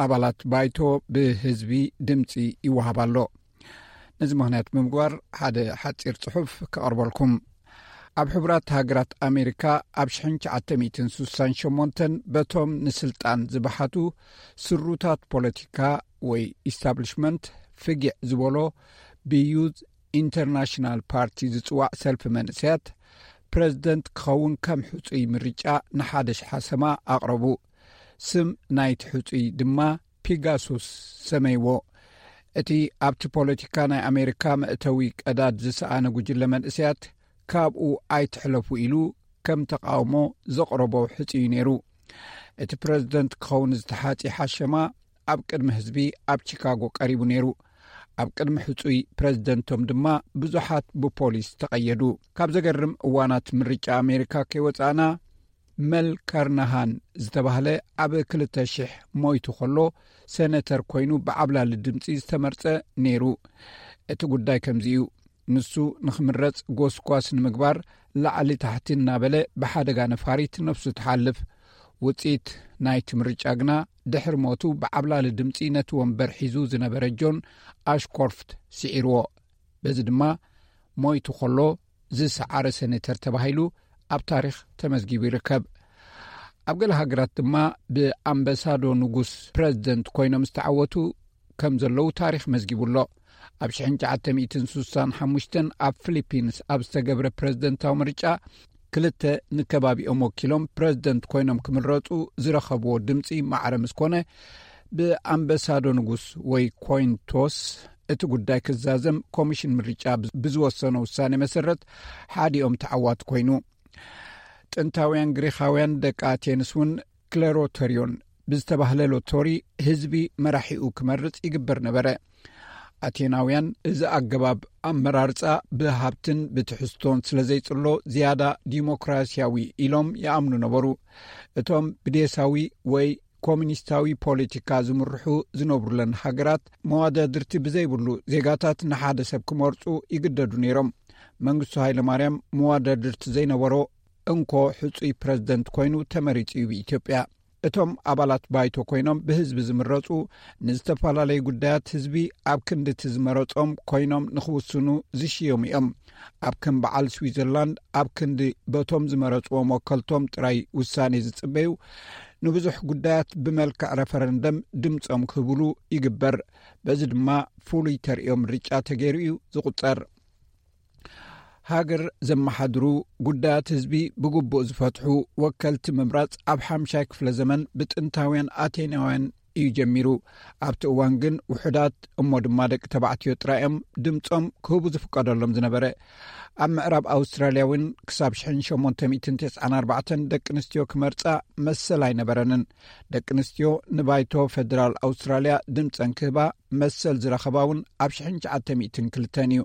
ኣባላት ባይቶ ብህዝቢ ድምፂ ይወሃብ ኣሎ። ነዚ ምኽንያት ብምግባር ሓደ ሓፂር ፅሑፍ ከቕርበልኩም። ኣብ ሕቡራት ሃገራት ኣሜሪካ ኣብ ሽሕን ትሽዓተ ሚእትን ስሳን ሸሞንተን በቶም ንስልጣን ዝበሓቱ ስሩታት ፖለቲካ ወይ ኢስታብሊሽመንት ፍጊዕ ዝበሎ ብዩዝ ኢንተርናሽናል ፓርቲ ዝፅዋዕ ሰልፊ መንእሰያት ፕረዚደንት ክኸውን ከም ሕፁይ ምርጫ ንሓደ ሽሓሰማ ኣቕረቡ። ስም ናይቲ ሕፁይ ድማ ፒጋሱስ ሰመይዎ። እቲ ኣብቲ ፖለቲካ ናይ ኣሜሪካ መእተዊ ቀዳድ ዝሰኣነ ጉጅለ መንእሰያት ካብኡ ኣይትሕለፉ ኢሉ ከም ተቃውሞ ዘቕረቦ ሕፁይ እዩ ነይሩ። እቲ ፕረዚደንት ክኸውን ዝተሓፂ ሓሸማ ኣብ ቅድሚ ህዝቢ ኣብ ቺካጎ ቀሪቡ ነይሩ። ኣብ ቅድሚ ሕፁይ ፕረዚደንቶም ድማ ብዙሓት ብፖሊስ ተቐየዱ። ካብ ዘገርም እዋናት ምርጫ ኣሜሪካ ከይወፃእና መል ካርናሃን ዝተባህለ ኣብ ክልተ ሽሕ ሞይቱ ከሎ ሰነተር ኮይኑ ብዓብላሊ ድምፂ ዝተመርፀ ነይሩ። እቲ ጉዳይ ከምዚ እዩ። ንሱ ንኽምረፅ ጎስጓስ ንምግባር ላዕሊ ታሕቲ እናበለ ብሓደጋ ነፋሪት ነፍሱ ትሓልፍ። ውፅኢት ናይቲ ምርጫ ግና ድሕሪ ሞቱ ብዓብላሊ ድምፂ ነቲ ወንበር ሒዙ ዝነበረ ጆን ኣሽኮርፍት ስዒርዎ። በዚ ድማ ሞይቱ ከሎ ዝሰዓረ ሰኔተር ተባሂሉ ኣብ ታሪኽ ተመዝጊቡ ይርከብ። ኣብ ገለ ሃገራት ድማ ብኣምበሳዶ ንጉስ ፕረዚደንት ኮይኖም ዝተዓወቱ ከም ዘለዉ ታሪኽ መዝጊቡ ኣሎ። ኣብ ሽሕን ትሽዓተ ሚእትን ስሳን ሓሙሽተን ኣብ ፊሊፒንስ ኣብ ዝተገብረ ፕረዚደንታዊ ምርጫ፣ ክልተ ንከባቢኦም ወኪሎም ፕረዚደንት ኮይኖም ክምረጹ ዝረኸብዎ ድምጺ ማዕረ ምስ ኮነ፣ ብኣምበሳዶ ንጉስ ወይ ኮይን ቶስ እቲ ጉዳይ ክዛዘም ኮሚሽን ምርጫ ብዝወሰኖ ውሳኔ መሰረት ሓዲኦም ተዓዋቲ ኮይኑ። ጥንታውያን ግሪኻውያን ደቂ ኣቴንስ እውን ክለሮተርዮን ብዝተባህለ ሎቶሪ ህዝቢ መራሒኡ ክመርጽ ይግበር ነበረ። ኣቴናውያን እዚ ኣገባብ ኣመራርጻ ብሃብትን ብትሕዝቶን ስለ ዘይጽሎ ዝያዳ ዲሞክራሲያዊ ኢሎም ይኣምኑ ነበሩ። እቶም ብዴሳዊ ወይ ኮሚኒስታዊ ፖለቲካ ዝምርሑ ዝነብሩለን ሃገራት መዋዳድርቲ ብዘይብሉ ዜጋታት ንሓደ ሰብ ክመርጹ ይግደዱ ነይሮም። መንግስቱ ሃይለማርያም መዋዳድርቲ ዘይነበሮ እንኮ ሕጹይ ፕረዚደንት ኮይኑ ተመሪጹ እዩ ብኢትዮጵያ። እቶም ኣባላት ባይቶ ኮይኖም ብህዝቢ ዝምረጹ ንዝተፈላለዩ ጉዳያት ህዝቢ ኣብ ክንዲ እቲ ዝመረጾም ኮይኖም ንኽውስኑ ዝሽየሙ እዮም። ኣብ ከም በዓል ስዊዘርላንድ ኣብ ክንዲ በቶም ዝመረጽዎም ወከልቶም ጥራይ ውሳኔ ዝጽበዩ ንብዙሕ ጉዳያት ብመልክዕ ረፈረንደም ድምጾም ክህብሉ ይግበር። በዚ ድማ ፍሉይ ተርእዮ ምርጫ ተገይሩ እዩ ዝቑጸር። ሃገር ዘመሓድሩ፣ ጉዳያት ህዝቢ ብግቡእ ዝፈትሑ ወከልቲ ምምራጽ ኣብ ሓምሻይ ክፍለ ዘመን ብጥንታውያን ኣቴናውያን እዩ ጀሚሩ። ኣብቲ እዋን ግን ውሑዳት እሞ ድማ ደቂ ተባዕትዮ ጥራይ እዮም ድምጾም ክህቡ ዝፍቀደሎም ዝነበረ። ኣብ ምዕራብ ኣውስትራልያ እውን ክሳብ ሽሕን ሸሞንተ ሚእትን ተስዓን ኣርባዕተን ደቂ ኣንስትዮ ክመርጻ መሰል ኣይነበረንን። ደቂ ኣንስትዮ ንባይቶ ፈደራል ኣውስትራልያ ድምጸን ክህባ መሰል ዝረኸባ እውን ኣብ ሽሕን ትሽዓተ ሚእትን ክልተን እዩ።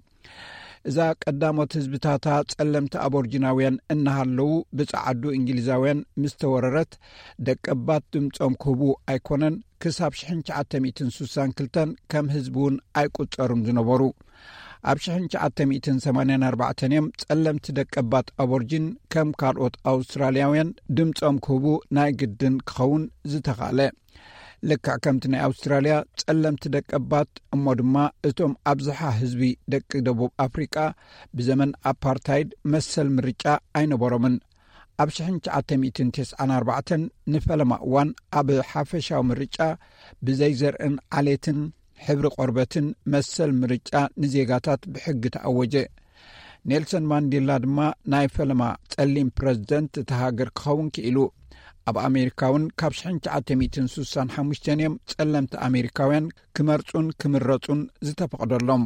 እዛ ቀዳሞት ህዝብታታ ጸለምቲ ኣቦርጂናውያን እናሃለዉ ብጸዓዱ እንግሊዛውያን ምስ ተወረረት፣ ደቀባት ድምጾም ክህቡ ኣይኮነን፣ ክሳብ ሽሕን ትሽዓተ ሚእትን ስሳን ክልተን ከም ህዝቢ እውን ኣይቁጸሩን ዝነበሩ። ኣብ ሽሕን ትሽዓተ ሚእትን ሰማንያን ኣርባዕተን እዮም ጸለምቲ ደቀባት ኣቦርጂን ከም ካልኦት ኣውስትራልያውያን ድምጾም ክህቡ ናይ ግድን ክኸውን ዝተኻለ። ልክዕ ከምቲ ናይ ኣውስትራልያ ጸለምቲ ደቀባት እሞ ድማ እቶም ኣብዝሓ ህዝቢ ደቂ ደቡብ ኣፍሪቃ ብዘመን ኣፓርታይድ መሰል ምርጫ ኣይነበሮምን። ኣብ ሽሕን ትሽዓተ ሚእትን ተስዓን ኣርባዕተን ንፈለማ እዋን ኣብ ሓፈሻዊ ምርጫ ብዘይ ዘርእን ዓሌትን ሕብሪ ቆርበትን መሰል ምርጫ ንዜጋታት ብሕጊ ተኣወጀ። ኔልሰን ማንዴላ ድማ ናይ ፈለማ ጸሊም ፕረዚደንት እታ ሃገር ክኸውን ክኢሉ። ኣብ ኣሜሪካ እውን ካብ ሽሕን ትሽዓተ ሚእትን ስሳን ሓሙሽተን እዮም ጸለምቲ ኣሜሪካውያን ክመርጹን ክምረጹን ዝተፈቕደሎም።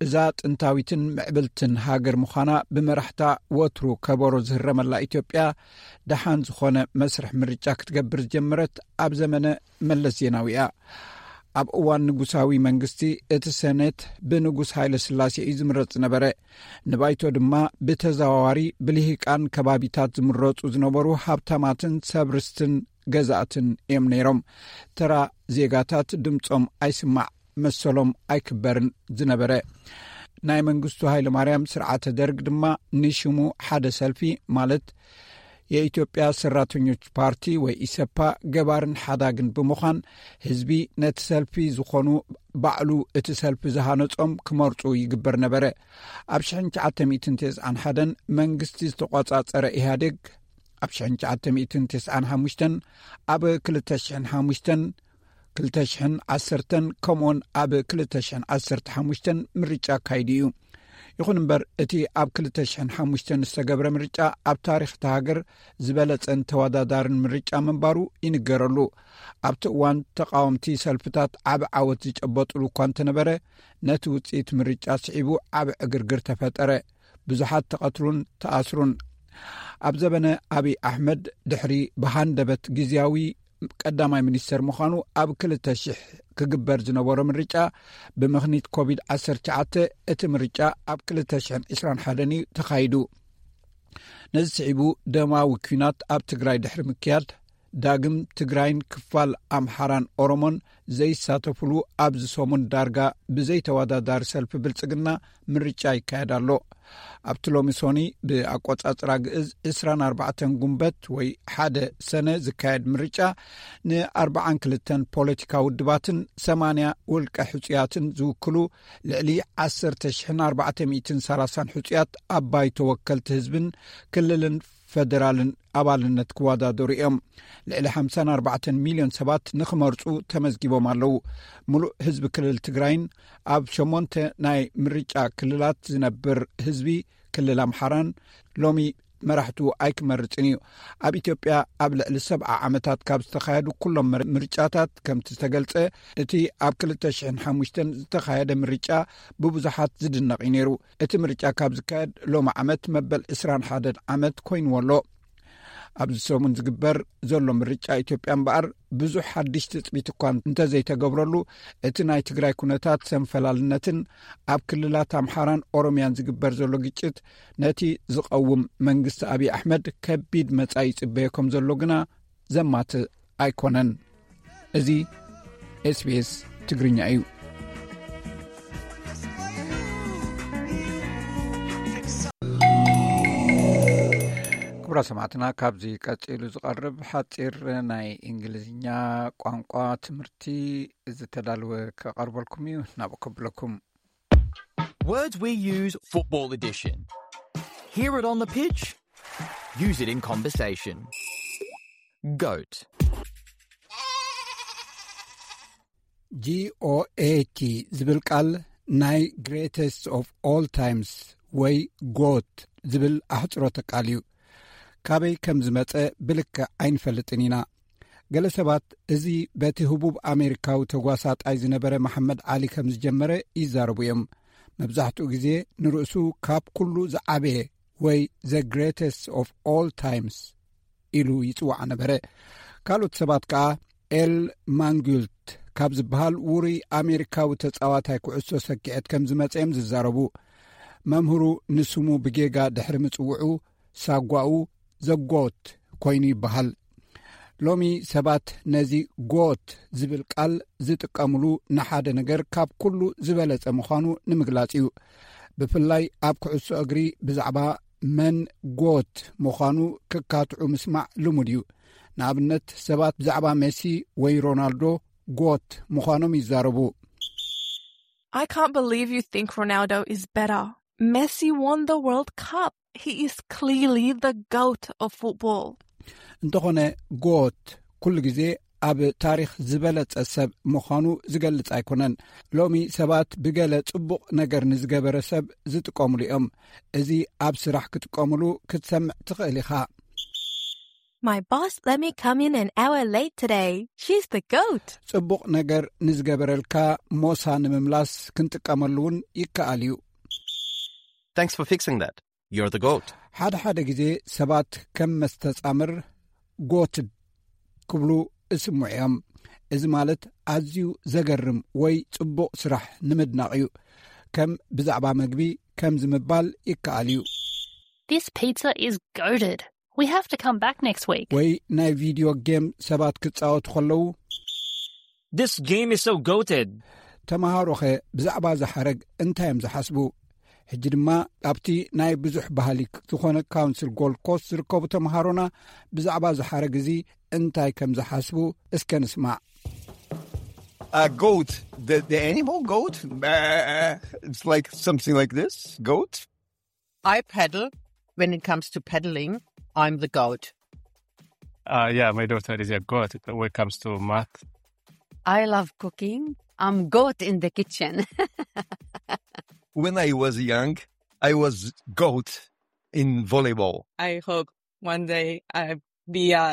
እዛ ጥንታዊትን ምዕብልትን ሃገር ምዃና ብመራሕታ ወትሩ ከበሮ ዝህረመላ ኢትዮጵያ ደሓን ዝኾነ መስርሕ ምርጫ ክትገብር ዝጀመረት ኣብ ዘመነ መለስ ዜናዊ እያ። ኣብ እዋን ንጉሳዊ መንግስቲ እቲ ሰኔት ብንጉስ ሃይለ ስላሴ እዩ ዝምረጽ ዝነበረ። ንባይቶ ድማ ብተዘዋዋሪ ብልሂቃን ከባቢታት ዝምረጹ ዝነበሩ ሃብታማትን ሰብ ርስትን ገዛእትን እዮም ነይሮም። ተራ ዜጋታት ድምጾም ኣይስማዕ፣ መሰሎም ኣይክበርን ዝነበረ። ናይ መንግስቱ ሃይለ ማርያም ስርዓተ ደርግ ድማ ንሽሙ ሓደ ሰልፊ፣ ማለት የኢትዮጵያ ሰራተኞች ፓርቲ ወይ ኢሰፓ፣ ገባርን ሓዳግን ብምዃን ህዝቢ ነቲ ሰልፊ ዝኾኑ ባዕሉ እቲ ሰልፊ ዝሃነጾም ክመርጹ ይግበር ነበረ። ኣብ ሽሕን ትሽዓተ ሚእትን ተስዓን ሓደን መንግስቲ ዝተቖጻጸረ ኢህኣዴግ ኣብ ሽሕን ትሽዓተ ሚእትን ተስዓን ሓሙሽተን፣ ኣብ ክልተ ሽሕን ሓሙሽተን፣ ክልተ ሽሕን ዓሰርተን ከምኡውን ኣብ ክልተ ሽሕን ዓሰርተ ሓሙሽተን ምርጫ ኣካይዱ እዩ። ይኹን እምበር እቲ ኣብ ክልተ ሽሕን ሓሙሽተን ዝተገብረ ምርጫ ኣብ ታሪኽ እታ ሃገር ዝበለጸን ተወዳዳርን ምርጫ ምንባሩ ይንገረሉ። ኣብቲ እዋን ተቃወምቲ ሰልፍታት ዓቢ ዓወት ዝጨበጡሉ እኳ እንተነበረ፣ ነቲ ውጽኢት ምርጫ ስዒቡ ዓቢ ዕግርግር ተፈጠረ። ብዙሓት ተቐትሉን ተኣስሩን። ኣብ ዘበነ ኣብይ ኣሕመድ ድሕሪ ብሃንደበት ግዝያዊ ቀዳማይ ሚኒስተር ምዃኑ ኣብ ክልተ ሽሕ ክግበር ዝነበሮ ምርጫ ብምኽኒት ኮቪድ ዓሰርተ ትሽዓተ እቲ ምርጫ ኣብ ክልተ ሽሕን ዕስራን ሓደን እዩ ተኻይዱ። ነዚ ስዒቡ ደማዊ ኲናት ኣብ ትግራይ ድሕሪ ምክያድ ዳግም ትግራይን ክፋል ኣምሓራን ኦሮሞን ዘይሳተፉሉ ኣብዚ ሰሙን ዳርጋ ብዘይተወዳዳሪ ሰልፊ ብልጽግና ምርጫ ይካየድ ኣሎ። ኣብቲ ሎሚ ሶኒ ብኣቆጻጽራ ግእዝ ዕስራን ኣርባዕተን ጉንበት ወይ ሓደ ሰነ ዝካየድ ምርጫ ንኣርባዓን ክልተን ፖለቲካ ውድባትን ሰማንያ ውልቀ ሕጹያትን ዝውክሉ ልዕሊ ዓሰርተ ሽሕን ኣርባዕተ ሚእትን ሰላሳን ሕጹያት ኣብ ባይቶ ወከልቲ ህዝብን ክልልን ፈደራልን ኣባልነት ክወዳደሩ እዮም። ልዕሊ ሓምሳን ኣርባዕተን ሚልዮን ሰባት ንኽመርፁ ተመዝጊቦም ኣለዉ። ሙሉእ ህዝቢ ክልል ትግራይን ኣብ ሸሞንተ ናይ ምርጫ ክልላት ዝነብር ህዝቢ ክልል ኣምሓራን ሎሚ መራሕቱ ኣይክመርፅን እዩ። ኣብ ኢትዮጵያ ኣብ ልዕሊ ሰብዓ ዓመታት ካብ ዝተኻየዱ ኩሎም ምር- ምርጫታት ከምቲ ዝተገልጸ፣ እቲ ኣብ ክልተ ሽሕን ሓሙሽተን ዝተኻየደ ምርጫ ብብዙሓት ዝድነቕ እዩ ነይሩ። እቲ ምርጫ ካብ ዝካየድ ሎሚ ዓመት መበል ዕስራን ሓደን ዓመት ኮይንዎ ኣሎ። ኣብዚ ሰሙን ዝግበር ዘሎ ምርጫ ኢትዮጵያ እምበኣር ብዙሕ ሓድሽ ትጽቢት እኳ እንተዘይተገብረሉ፣ እቲ ናይ ትግራይ ኩነታት ሰንፈላልነትን ኣብ ክልላት ኣምሓራን ኦሮምያን ዝግበር ዘሎ ግጭት ነቲ ዝቐውም መንግስቲ ኣብይ ኣሕመድ ከቢድ መጻኢ ይጽበዮ ከም ዘሎ ግና ዘማትእ ኣይኮነን። እዚ ኤስቢኤስ ትግርኛ እዩ። ክቡራ ሰማዕትና፣ ካብዚ ቀጺሉ ዝቐርብ ሓጺር ናይ እንግሊዝኛ ቋንቋ ትምህርቲ ዝተዳለወ ከቐርበልኩም እዩ። ናብኡ ከብለኩም። Words we use, football edition. Hear it on the pitch. Use it in conversation. Goat. ጂ ኦ ኤ ቲ ዝብል ቃል ናይ greatest of all times ወይ ጎት ዝብል ኣሕጽሮተ ቃል እዩ። ካበይ ከም ዝመጸ ብልክዕ ኣይንፈልጥን ኢና። ገለ ሰባት እዚ በቲ ህቡብ ኣሜሪካዊ ተጓሳጣይ ዝነበረ መሓመድ ዓሊ ከም ዝጀመረ ይዛረቡ እዮም። መብዛሕትኡ ግዜ ንርእሱ ካብ ኩሉ ዝዓበየ ወይ the greatest of all times ኢሉ ይጽዋዕ ነበረ። ካልኦት ሰባት ከኣ ኤል ማንጉልት ካብ ዝበሃል ውሩይ ኣሜሪካዊ ተጻዋታይ ኩዕሶ ሰኪዐት ከም ዝመጸ እዮም ዝዛረቡ። መምህሩ ንስሙ ብጌጋ ድሕሪ ምጽውዑ ሳጓኡ ዘጎት ኮይኑ ይበሃል። ሎሚ ሰባት ነዚ ጎት ዝብል ቃል ዝጥቀምሉ ንሓደ ነገር ካብ ኩሉ ዝበለጸ ምዃኑ ንምግላጽ እዩ። ብፍላይ ኣብ ኩዕሶ እግሪ ብዛዕባ መን ጎት ምዃኑ ክካትዑ ምስማዕ ልሙድ እዩ። ንኣብነት ሰባት ብዛዕባ ሜሲ ወይ ሮናልዶ ጎት ምዃኖም ይዛረቡ። I can't believe you think Ronaldo is better. Messi won the World Cup. He is clearly the goat of football. እንተኾነ ጎት ኩሉ ግዜ ኣብ ታሪኽ ዝበለጸ ሰብ ምዃኑ ዝገልጽ ኣይኮነን። ሎሚ ሰባት ብገለ ጽቡቕ ነገር ንዝገበረ ሰብ ዝጥቀምሉ እዮም። እዚ ኣብ ስራሕ ክጥቀምሉ ክትሰምዕ ትኽእል ኢኻ። My boss let me come in an hour late today. She's the goat. ጽቡቕ ነገር ንዝገበረልካ ሞሳ ንምምላስ ክንጥቀመሉ እውን ይከኣል እዩ። Thanks for fixing that. You're the goat. ሓደ ሓደ ግዜ ሰባት ከም መስተጻምር ጎትድ ክብሉ እስምዑ እዮም። እዚ ማለት ኣዝዩ ዘገርም ወይ ጽቡቕ ስራሕ ንምድናቕ እዩ። ከም ብዛዕባ መግቢ ከምዚ ምባል ይከኣል እዩ። This pizza is goated. We have to come back next week. ወይ ናይ ቪድዮ ጌም ሰባት ክጻወቱ ከለዉ This game is so goated. ተምሃሮኸ ብዛዕባ እዚ ሓረግ እንታይ እዮም ዝሓስቡ? ሕጂ ድማ ኣብቲ ናይ ብዙሕ ባህሊ ዝኾነ ካውንስል ጎልድ ኮስት ዝርከቡ ተምሃሮና ብዛዕባ እዚ ሓረግ እዚ እንታይ ከም ዝሓስቡ እስከ ንስማዕ። A goat, the, the animal goat, uh, it's like something like this, goat. I paddle. When it comes to paddling, I'm the goat. Uh, yeah, my daughter is a goat when it comes to math. I love cooking. I'm goat in the kitchen. When I was young, I was goat in volleyball. I hope one day I be a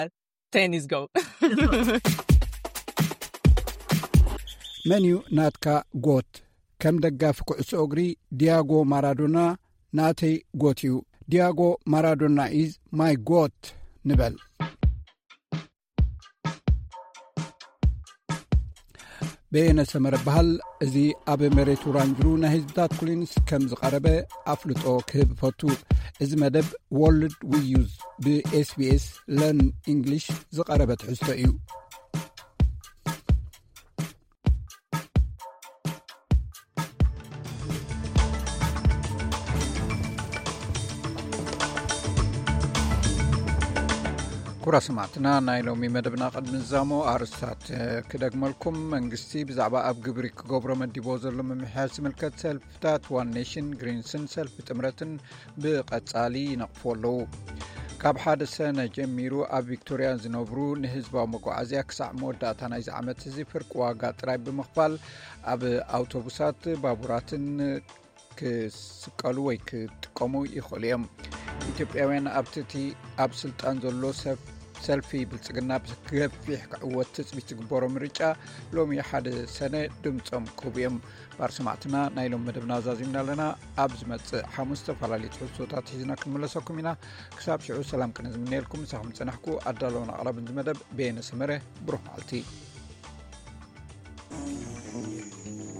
tennis goat. መን እዩ ናትካ ጎት? ከም ደጋፊ ኩዕሶ እግሪ ዲያጎ ማራዶና ናተይ ጎት እዩ። ዲያጎ ማራዶና is my goat ንበል። በየነ ሰመረ በሃል። እዚ ኣብ መሬት ውራንጅሩ ናይ ህዝብታት ኩሊንስ ከም ዝቐረበ ኣፍልጦ ክህብ እፈቱ። እዚ መደብ ወርልድ ዊዩዝ ብኤስቢኤስ ለርን ኢንግሊሽ ዝቐረበ ትሕዝቶ እዩ። ኩራ ሰማዕትና፣ ናይ ሎሚ መደብና ቅድሚ ንዛሞ ኣርእስታት ክደግመልኩም። መንግስቲ ብዛዕባ ኣብ ግብሪ ክገብሮ መዲቦ ዘሎ ምምሕያሽ ዝምልከት ሰልፍታት ዋን ኔሽን፣ ግሪንስን ሰልፊ ጥምረትን ብቐጻሊ ይነቕፉ ኣለዉ። ካብ ሓደ ሰነ ጀሚሩ ኣብ ቪክቶርያ ዝነብሩ ንህዝባዊ መጓዓዝያ ክሳዕ መወዳእታ ናይዚ ዓመት እዚ ፍርቂ ዋጋ ጥራይ ብምኽፋል ኣብ ኣውቶቡሳት፣ ባቡራትን ክስቀሉ ወይ ክጥቀሙ ይኽእሉ እዮም። ኢትዮጵያውያን ኣብቲ እቲ ኣብ ስልጣን ዘሎ ሰብ ሰልፊ ብልጽግና ብገፊሕ ክዕወት ትጽቢት ዝግበሮ ምርጫ ሎሚ ሓደ ሰነ ድምጾም ክህቡ እዮም። ባር ሰማዕትና ናይ ሎም መደብና ዛዚምና ኣለና። ኣብ ዝመጽእ ሓሙስ ዝተፈላለዩ ትሕዝቶታት ሒዝና ክንምለሰኩም ኢና። ክሳብ ሽዑ ሰላም ክነ ዝምነየልኩም ምሳኹም ዝጸናሕኩ ኣዳለውን ኣቕራብን ዝመደብ ቤነ ሰመረ። ብሩኽ መዓልቲ።